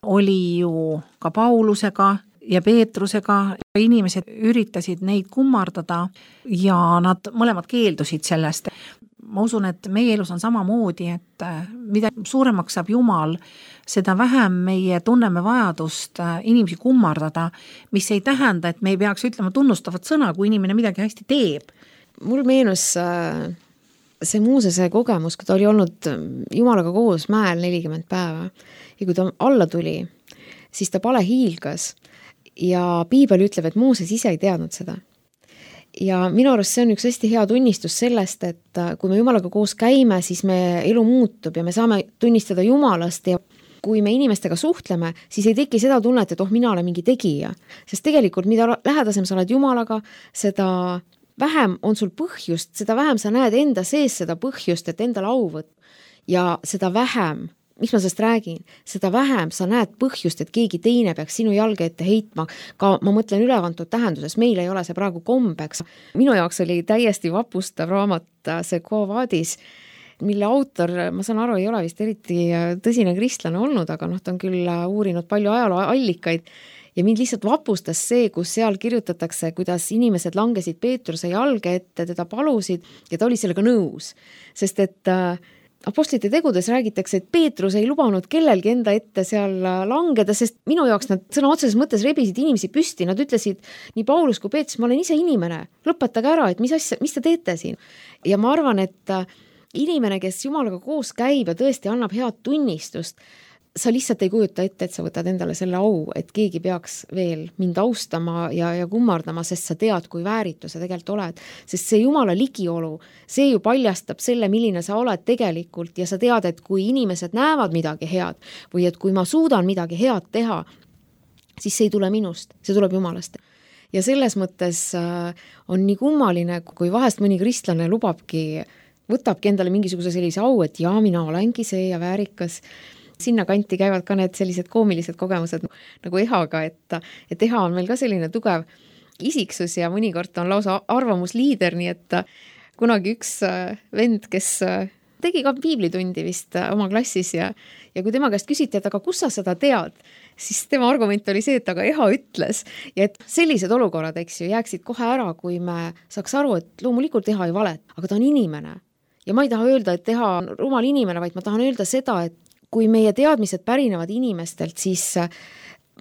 oli ju ka Paulusega ja Peetrusega, inimesed üritasid neid kummardada ja nad mõlemad keeldusid sellest. Ma usun, et meie elus on samamoodi, et mida suuremaks saab Jumal, seda vähem meie tunneme vajadust inimesi kummardada, mis ei tähenda, et me ei peaks ütlema tunnustavat sõna, kui inimene midagi hästi teeb. Mul meenus see Moosese kogemus, kui ta oli olnud Jumalaga koos mäel nelikümmend päeva ja kui ta alla tuli, siis ta pale hiilgas ja piibel ütleb, et Mooses ise ei teadnud seda. Ja minu arust see on üks hästi hea tunnistus sellest, et kui me Jumalaga koos käime, siis me elu muutub ja me saame tunnistada Jumalast ja kui me inimestega suhtleme, siis ei teki seda tunnet, et oh, mina olen mingi tegija. Sest tegelikult, mida lähedasem sa oled Jumalaga, seda vähem on sul põhjust, seda vähem sa näed enda sees seda põhjust, et endale au võtta. Ja seda vähem, mis ma sellest räägin, seda vähem sa näed põhjust, et keegi teine peaks sinu jalge ette heitma. Ka ma mõtlen ülevantud tähenduses, meil ei ole see praegu kombeks. Minu jaoks oli täiesti vapustav raamat see Quo Vadis, mille autor, ma saan aru, ei ole vist eriti tõsine kristlane olnud, aga noh, ta on küll uurinud palju ajaloo allikaid. Ja mind lihtsalt vapustas see, kus seal kirjutatakse, kuidas inimesed langesid Peetruse jalge ette, teda palusid ja ta oli sellega nõus. Sest et äh, apostlite tegudes räägitakse, et Peetrus ei lubanud kellelgi enda ette seal langeda, sest minu jaoks nad sõna otseses mõttes rebisid inimesi püsti. Nad ütlesid, nii Paulus kui Peetrus, ma olen ise inimene, lõpetage ära, et mis, asja, mis te teete siin. Ja ma arvan, et inimene, kes Jumalaga koos käib ja tõesti annab head tunnistust, sa lihtsalt ei kujuta ette, et sa võtad endale selle au, et keegi peaks veel mind austama ja, ja kummardama, sest sa tead, kui vääritu sa tegelikult oled. Sest see Jumala ligiolu, see ju paljastab selle, milline sa oled tegelikult ja sa tead, et kui inimesed näevad midagi head või et kui ma suudan midagi head teha, siis see ei tule minust, see tuleb Jumalast. Ja selles mõttes on nii kummaline, kui vahest mõni kristlane lubabki, võtabki endale mingisuguse sellise au, et jaa, mina olengi see ja väärikas. Sinna kanti käivad ka need sellised koomilised kogemused nagu Ehaga, et, et Eha on meil ka selline tugev isiksus ja mõnikord on lausa arvamusliider, nii et kunagi üks vend, kes tegi ka piiblitundi vist oma klassis ja, ja kui tema käest küsiti, et aga kus sa seda tead, siis tema argument oli see, et aga Eha ütles ja et sellised olukorrad, eks ju, jääksid kohe ära, kui me saaks aru, et loomulikult Eha ei valet, aga ta on inimene. Ja ma ei taha öelda, et Eha on rumal inimene, vaid ma tahan öelda seda, et kui meie teadmised pärinevad inimestelt, siis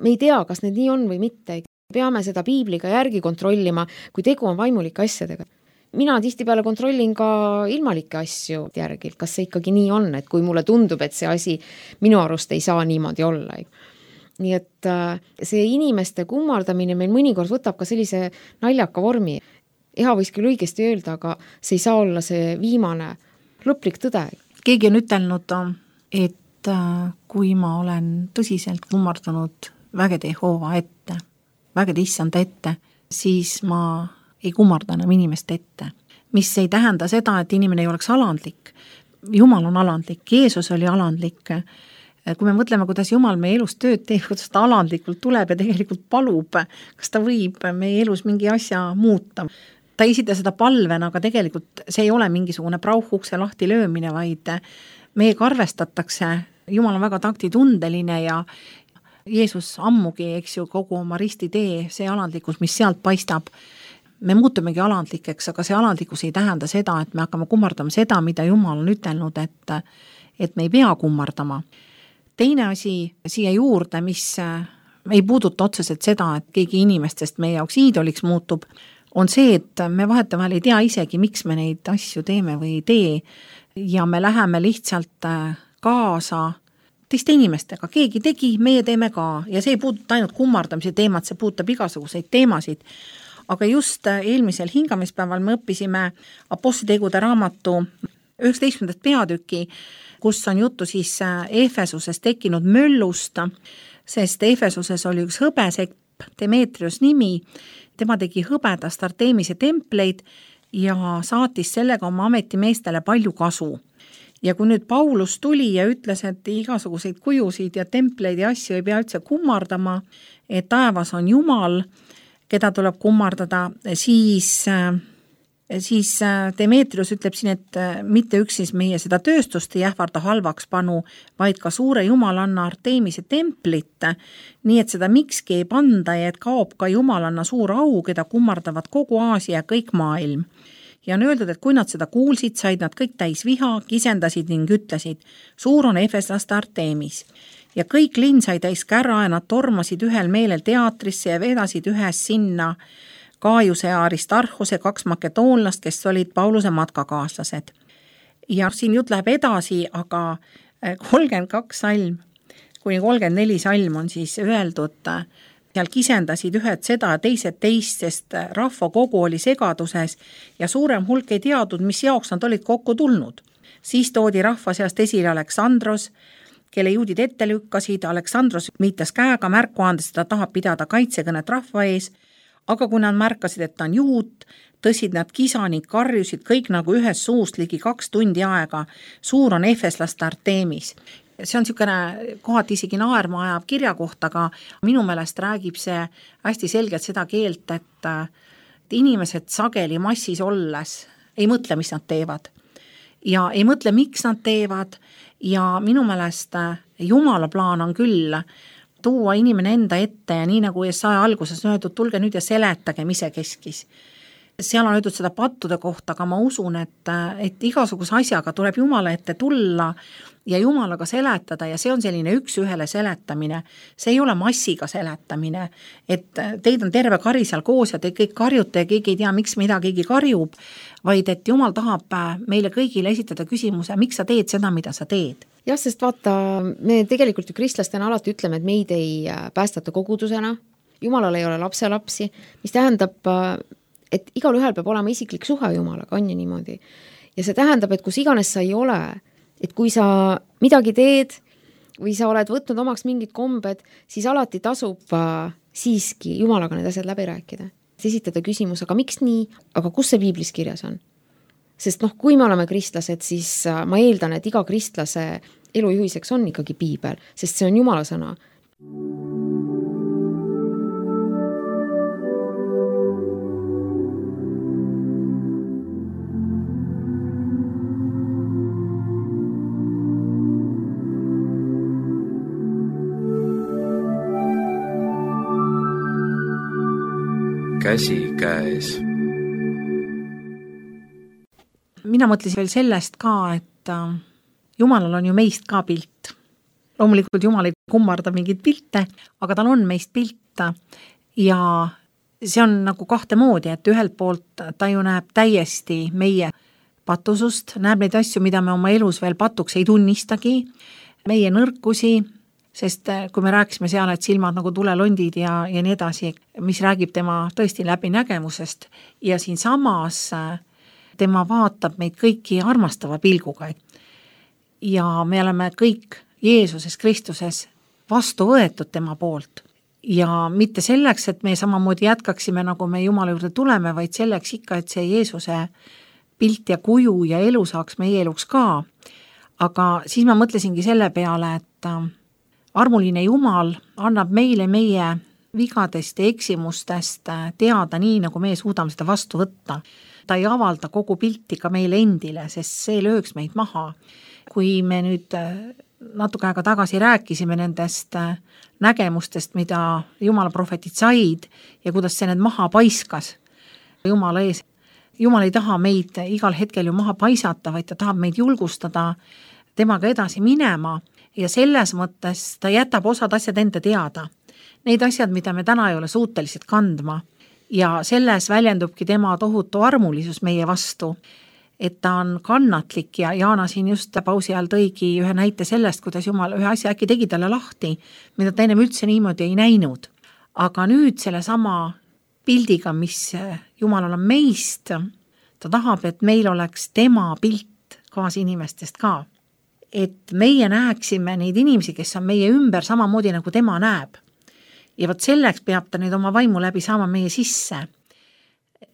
me ei tea, kas need nii on või mitte. Peame seda piibliga järgi kontrollima, kui tegu on vaimulike asjadega. Mina tihtipeale kontrollin ka ilmalikke asju järgi, kas see ikkagi nii on, et kui mulle tundub, et see asi minu arust ei saa niimoodi olla. Nii et see inimeste kummardamine meil mõnikord võtab ka sellise naljaka vormi. Eha võis küll õigesti öelda, aga see ei saa olla see viimane lõplik tõde. Keegi on ütelnud, et kui ma olen tõsiselt kummardanud vägede Jehova ette, vägede issanda ette, siis ma ei kummarda enam inimest ette. Mis ei tähenda seda, et inimene ei oleks alandlik. Jumal on alandlik, Jeesus oli alandlik. Kui me mõtleme, kuidas Jumal meie elus tööd teeb, kuidas ta alandlikult tuleb ja tegelikult palub, kas ta võib meie elus mingi asja muuta. Ta ei esita seda palvena, aga tegelikult see ei ole mingisugune prauhukse lahti löömine, vaid meiega arvestatakse. Jumal on väga taktitundeline ja Jeesus ammugi, eks ju, kogu oma ristitee, see alandlikkus, mis sealt paistab, me muutumegi alandlikeks, aga see alandlikkus ei tähenda seda, et me hakkame kummardama seda, mida Jumal on ütelnud, et, et me ei pea kummardama. Teine asi siia juurde, mis ei puuduta otseselt seda, et keegi inimestest meie jaoks iidoliks muutub, on see, et me vahetevahel ei tea isegi, miks me neid asju teeme või ei tee ja me läheme lihtsalt kaasa teiste inimestega, keegi tegi, meie teeme ka ja see ei puuduta ainult kummardamise teemat, see puudutab igasuguseid teemasid, aga just eelmisel hingamispäeval me õppisime Apostlitegude raamatu üheksateistkümnendat peatüki, kus on juttu siis Efesuses tekkinud möllust, sest Efesuses oli üks hõbesepp, Demetrios nimi, tema tegi hõbedast Artemise templeid ja saatis sellega oma ametimeestele palju kasu. Ja kui nüüd Paulus tuli ja ütles, et igasuguseid kujusid ja templeid ja asju ei pea üldse kummardama, et taevas on Jumal, keda tuleb kummardada, siis, siis Demetrius ütleb siin, et mitte üksis meie seda tööstust ei ähvarda halvaks panu, vaid ka suure Jumalanna Artemise templit, nii et seda mikski ei panda ja et kaob ka Jumalanna suur au, keda kummardavad kogu Aasia ja kõik maailm. Ja on öeldud, et kui nad seda kuulsid, said nad kõik täis viha, kisendasid ning ütlesid, suur on efeslaste Artemis. Ja kõik linn sai täis kärra ja nad tormasid ühel meelel teatrisse ja vedasid ühes sinna Kaajuse ja Aristarhuse kaks makedoonlast, kes olid Pauluse matkakaaslased. Ja siin jutt läheb edasi, aga kolmkümmend kaks salm, kuni kolmkümmend neli salm on siis öeldud, seal kisendasid ühed seda ja teised teist, sest rahva kogu oli segaduses ja suurem hulk ei teadnud, mis jaoks nad olid kokku tulnud. Siis toodi rahva seast esile Aleksandros, kelle juudid ette lükkasid. Aleksandros viitas käega märku andes, et ta tahab pidada kaitsekõnet rahva ees, aga kui nad märkasid, et ta on juut, tõsid nad kisa ning karjusid kõik nagu ühes suust ligi kaks tundi aega. Suur on efeslaste Artemis. See on niisugune kohati isegi naerma ajav kirja koht, aga minu meelest räägib see hästi selgelt seda keelt, et, et inimesed sageli massis olles ei mõtle, mis nad teevad. Ja ei mõtle, miks nad teevad ja minu meelest Jumala plaan on küll tuua inimene enda ette ja nii nagu Jesaja alguses on öeldud, tulge nüüd ja seletage, mis see keskis. Seal on öeldud seda pattude kohta, aga ma usun, et, et igasuguse asjaga tuleb Jumala ette tulla ja Jumalaga seletada ja see on selline üks ühele seletamine. See ei ole massiga seletamine, et teid on terve kari seal koos ja te kõik karjute ja keegi ei tea, miks mida keegi karjub, vaid et Jumal tahab meile kõigile esitada küsimuse, miks sa teed seda, mida sa teed. jah, sest vaata, me tegelikult ju kristlastena alati ütleme, et meid ei päästata kogudusena, Jumalal ei ole lapselapsi, mis tähendab, et igal ühel peab olema isiklik suhe Jumalaga, on ju niimoodi. Ja see tähendab, et kus iganes sa ei ole, et kui sa midagi teed või sa oled võtnud omaks mingid kombed, siis alati tasub siiski Jumalaga need asjad läbi rääkida. Esitada küsimus, aga miks nii, aga kus see piiblis kirjas on? Sest noh, kui me oleme kristlased, siis ma eeldan, et iga kristlase elujuhiseks on ikkagi piibel, sest see on Jumala sõna. Käsi käes. Mina mõtlesin veel sellest ka, et Jumalal on ju meist ka pilt. Loomulikult Jumal ei kummarda mingid pilte, aga tal on meist pilt ja see on nagu kahte moodi, et ühelt poolt ta ju näeb täiesti meie patusust, näeb neid asju, mida me oma elus veel patuks ei tunnistagi, meie nõrkusi, sest kui me rääkisime seal, et silmad nagu tulelondid ja, ja nii edasi, mis räägib tema tõesti läbi nägemusest ja siin samas tema vaatab meid kõiki armastava pilguga. Ja me oleme kõik Jeesuses Kristuses vastu võetud tema poolt ja mitte selleks, et me samamoodi jätkaksime, nagu me Jumala juurde tuleme, vaid selleks ikka, et see Jeesuse pilt ja kuju ja elu saaks meie eluks ka. Aga siis ma mõtlesingi selle peale, et armuline Jumal annab meile meie vigadest ja eksimustest teada nii, nagu me suudame seda vastu võtta. Ta ei avalda kogu pilti ka meile endile, sest see lööks meid maha. Kui me nüüd natuke aega tagasi rääkisime nendest nägemustest, mida Jumala prohvetid said ja kuidas see need maha paiskas Jumala ees. Jumal ei taha meid igal hetkel ju maha paisata, vaid ta tahab meid julgustada temaga edasi minema. Ja selles mõttes ta jätab osad asjad enda teada. Neid asjad, mida me täna ei ole suutelised kandma. Ja selles väljendubki tema tohutu armulisus meie vastu, et ta on kannatlik ja Jaana siin just pausi ajal tõigi ühe näite sellest, kuidas Jumal ühe asja äkki tegi talle lahti, mida ta ennem üldse niimoodi ei näinud. Aga nüüd selle sama pildiga, mis Jumalal on meist, ta tahab, et meil oleks tema pilt kaas inimestest ka. Et meie näeksime neid inimesi, kes on meie ümber samamoodi nagu tema näeb. Ja võt selleks peab ta nüüd oma vaimu läbi saama meie sisse.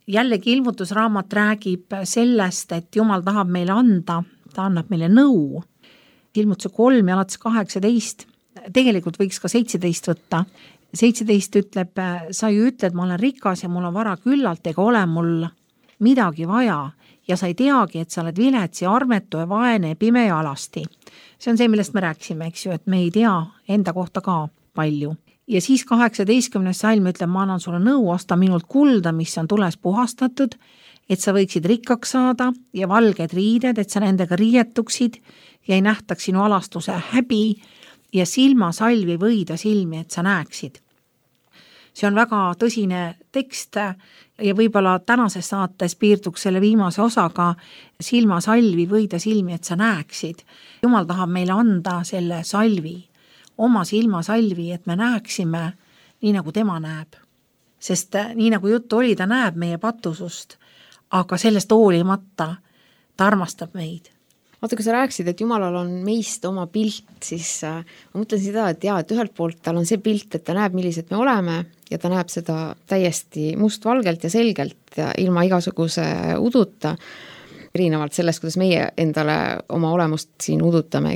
Jällegi ilmutusraamat räägib sellest, et Jumal tahab meile anda, ta annab meile nõu. Ilmutuse kolm ja alates kaheksateist, tegelikult võiks ka seitseteist võtta. seitseteist ütleb, sa ju ütled, ma olen rikas ja mul on vara küllalt, ega ole mul midagi vaja. Ja sa ei teagi, et sa oled vilets ja armetu ja vaene ja pime ja alasti. See on see, millest me rääksime, eks ju, et me ei tea enda kohta ka palju. Ja siis kaheksateistkümnes salm ütleb, ma annan sulle nõu, osta minult kulda, mis on tules puhastatud, et sa võiksid rikkaks saada ja valged riided, et sa nendega riietuksid ja ei nähtaks sinu alastuse häbi ja silma salvi võida silmi, et sa näeksid. See on väga tõsine tekst ja võib-olla tänases saates piirduks selle viimase osaga silma salvi võida silmi, et sa näeksid. Jumal tahab meile anda selle salvi, oma silma salvi, et me näeksime nii, nagu tema näeb. Sest nii, nagu juttu oli, ta näeb meie patusust, aga sellest hoolimata ta armastab meid. Vaata, kui sa rääksid, et Jumalal on meist oma pilt, siis äh, ma mõtlen seda, et jah, et ühelt poolt tal on see pilt, et ta näeb, millised me oleme ja ta näeb seda täiesti mustvalgelt ja selgelt ja ilma igasuguse uduta, erinevalt sellest, kuidas meie endale oma olemust siin udutame.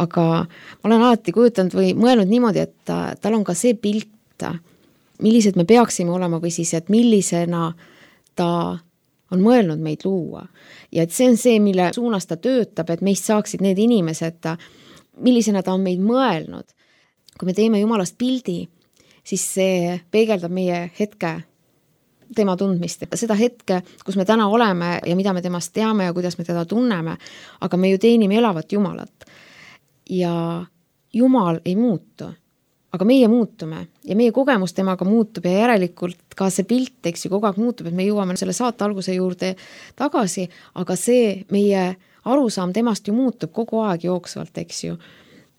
Aga ma olen alati kujutanud või mõelnud niimoodi, et ta, tal on ka see pilt, millised me peaksime olema või siis, et millisena ta on mõelnud meid luua. Ja et see on see, mille suunas ta töötab, et meist saaksid need inimesed, millisena ta on meid mõelnud. Kui me teeme Jumalast pildi, siis see peegeldab meie hetke tema tundmist. Seda hetke, kus me täna oleme ja mida me temast teame ja kuidas me teda tunneme, aga me ju teenime elavat Jumalat. Ja Jumal ei muutu. Aga meie muutume ja meie kogemus temaga muutub ja järelikult ka see pilt, eks ju, kogu aeg muutub, et me jõuame selle saate alguse juurde tagasi, aga see meie arusaam temast ju muutub kogu aeg jooksvalt, eks ju.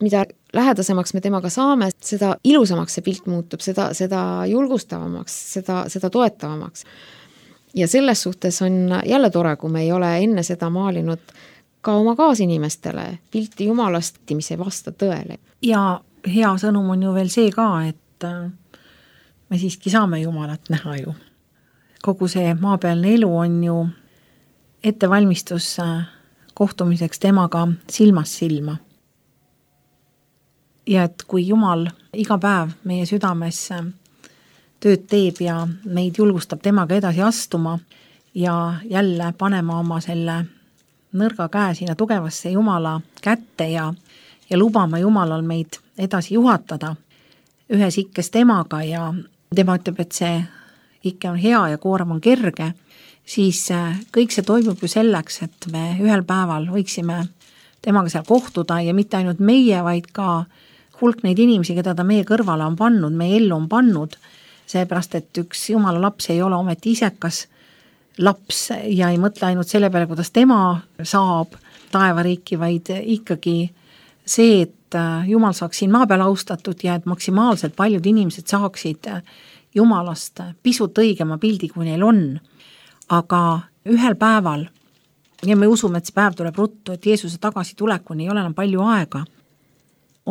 Mida lähedasemaks me temaga saame, seda ilusamaks see pilt muutub, seda, seda julgustavamaks, seda, seda toetavamaks. Ja selles suhtes on jälle tore, kui me ei ole enne seda maalinud ka oma kaasinimestele pilti Jumalast, mis ei vasta tõele. Ja hea sõnum on ju veel see ka, et me siiski saame Jumalat näha ju. Kogu see maapealne elu on ju ettevalmistus kohtumiseks temaga silmast silma. Ja et kui Jumal iga päev meie südames tööd teeb ja meid julgustab temaga edasi astuma ja jälle panema oma selle nõrga käe sinna tugevasse Jumala kätte ja, ja lubama Jumalal meid edasi juhatada ühes ikkes temaga ja tema ütleb, et see ikke on hea ja koorem on kerge, siis kõik see toimub ju selleks, et me ühel päeval võiksime temaga seal kohtuda ja mitte ainult meie, vaid ka hulk neid inimesi, keda ta meie kõrvale on pannud, meie ellu on pannud, seepärast, et üks Jumala laps ei ole ometi isekas laps ja ei mõtle ainult selle peale, kuidas tema saab taevariiki, vaid ikkagi see, et Jumal saaks siin maa peal austatud ja et maksimaalselt paljud inimesed saaksid Jumalast pisut õigema pildi, kui neil on. Aga ühel päeval, ja me usume, et see päev tuleb ruttu, et Jeesuse tagasi tulekuni ei ole enam palju aega,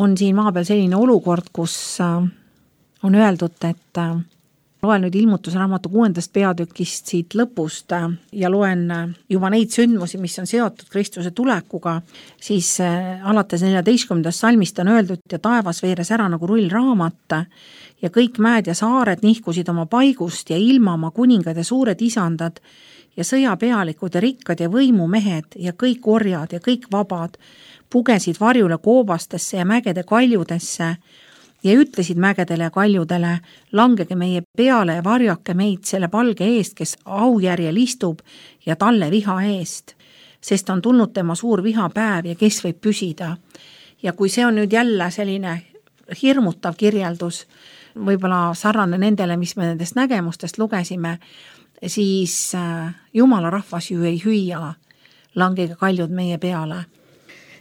on siin maa peal selline olukord, kus on öeldud, et loen nüüd ilmutusraamatu kuuendast peatükist siit lõpust ja loen juba neid sündmusi, mis on seotud Kristuse tulekuga, siis alates neljateistkümnendast salmist on öeldud ja taevas veeres ära nagu rullraamat ja kõik mäed ja saared nihkusid oma paigust ja ilma oma kuningad ja suured isandad ja sõjapealikud ja rikkad ja võimumehed ja kõik orjad ja kõik vabad pugesid varjule koobastesse ja mägede kaljudesse ja ütlesid mägedele ja kaljudele, langege meie peale ja varjake meid selle palge eest, kes aujärjel istub ja talle viha eest, sest on tulnud tema suur vihapäev ja kes võib püsida. Ja kui see on nüüd jälle selline hirmutav kirjeldus, võib-olla sarnane nendele, mis me nendest nägemustest lugesime, siis Jumala rahvas ju ei hüüa, langege kaljud meie peale.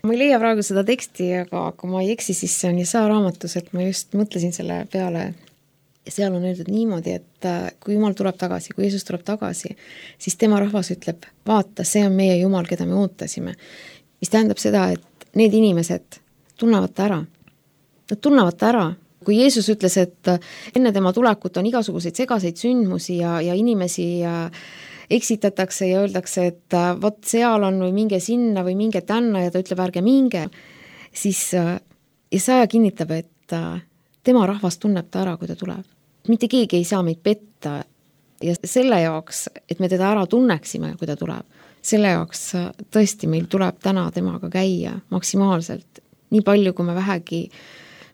Ma ei leia praegu seda teksti, aga kui ma ei eksi, siis see on Jesaja raamatus, et ma just mõtlesin selle peale ja seal on öeldud niimoodi, et kui Jumal tuleb tagasi, kui Jeesus tuleb tagasi, siis tema rahvas ütleb, vaata, see on meie Jumal, keda me ootasime. Mis tähendab seda, et need inimesed tunnevad ta ära. Nad tunnevad ta ära. Kui Jeesus ütles, et enne tema tulekut on igasuguseid segaseid sündmusi ja, ja inimesi ja eksitatakse ja öeldakse, et vot seal on või minge sinna või minge tänna ja ta ütleb, ärge minge, siis Jesaja kinnitab, et tema rahvas tunneb ta ära, kui ta tuleb. Mitte keegi ei saa meid petta ja selle jaoks, et me teda ära tunneksime, kui ta tuleb, selle jaoks tõesti meil tuleb täna temaga käia maksimaalselt. Nii palju, kui me vähegi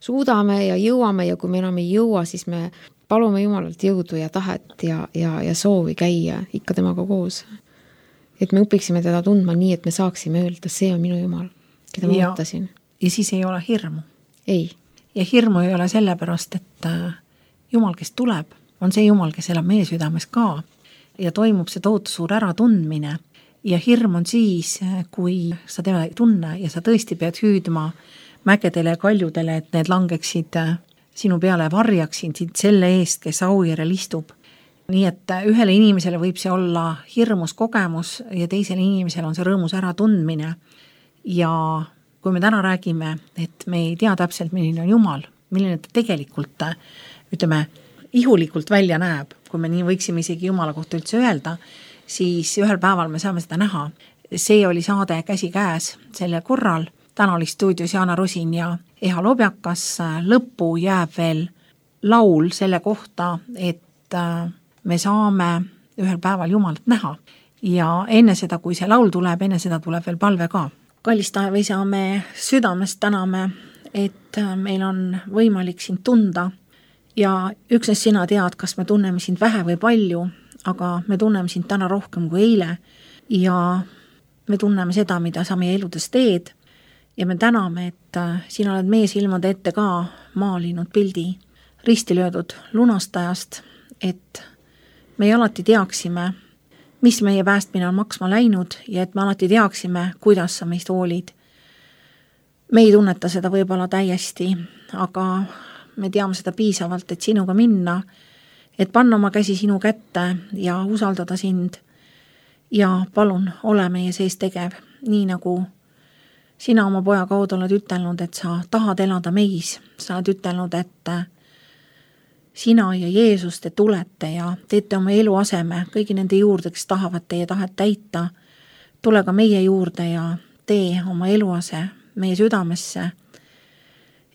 suudame ja jõuame ja kui me enam ei jõua, siis me palume Jumalalt jõudu ja tahet ja, ja, ja soovi käia ikka temaga koos. Et me õpiksime teda tundma nii, et me saaksime öelda, see on minu Jumal, keda ma ootasin. Ja siis ei ole hirmu. Ei. Ja hirmu ei ole sellepärast, et Jumal, kes tuleb, on see Jumal, kes elab meie südames ka ja toimub see tohutu suur äratundmine. Ja hirm on siis, kui sa teda ei tunne ja sa tõesti pead hüüdma mägedele ja kaljudele, et need langeksid sinu peale varjaksin sind selle eest, kes aujärjel istub. Nii et ühele inimesele võib see olla hirmus kogemus ja teisele inimesele on see rõõmus äratundmine. Ja kui me täna räägime, et me ei tea täpselt, milline on Jumal, milline ta tegelikult, ütleme, ihulikult välja näeb, kui me nii võiksime isegi Jumala kohta üldse öelda, siis ühel päeval me saame seda näha. See oli saade Käsi käes selle korral. Täna oli stuudios Jaana Rosin ja Eha Lobjakas. Lõppu jääb veel laul selle kohta, et me saame ühel päeval Jumalat näha. Ja enne seda, kui see laul tuleb, enne seda tuleb veel palve ka. Kallis taevaisa, me südamest täname, et meil on võimalik sind tunda ja üksnes sina tead, kas me tunneme sind vähe või palju, aga me tunneme sind täna rohkem kui eile ja me tunneme seda, mida sa meie eludes teed. Ja me täname, et sina oled meie silmade ette ka maalinud pildi ristilöödud lunastajast, et me alati teaksime, mis meie päästmine on maksma läinud ja et me alati teaksime, kuidas sa meist hoolid. Me ei tunneta seda võib-olla täiesti, aga me teame seda piisavalt, et sinuga minna, et panna oma käsi sinu kätte ja usaldada sind. Ja palun, ole meie sees tegev, nii nagu sina oma poja kaudu oled ütelnud, et sa tahad elada meis. Sa oled ütelnud, et sina ja Jeesus te tulete ja teete oma elu aseme kõigi nende juurde, kes tahavad teie tahet täita. Tule ka meie juurde ja tee oma eluase meie südamesse,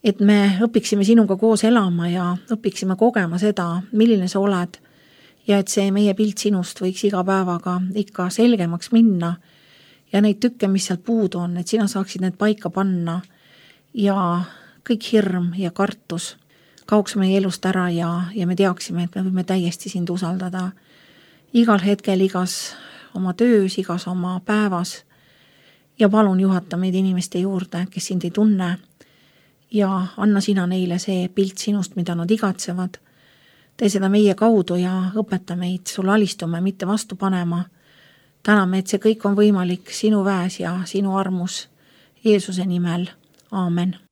et me õpiksime sinuga koos elama ja õpiksime kogema seda, milline sa oled ja et see meie pilt sinust võiks iga päevaga ikka selgemaks minna ja neid tükke, mis sealt puudu on, et sina saaksid need paika panna ja kõik hirm ja kartus kaoks meie elust ära ja, ja me teaksime, et me võime täiesti sind usaldada igal hetkel, igas oma töös, igas oma päevas ja palun juhata meid inimeste juurde, kes sind ei tunne ja anna sina neile see pilt sinust, mida nad igatsevad. Tee seda meie kaudu ja õpeta meid sulle alistume, mitte vastu panema. Täname, et see kõik on võimalik sinu väes ja sinu armus Jeesuse nimel. Aamen.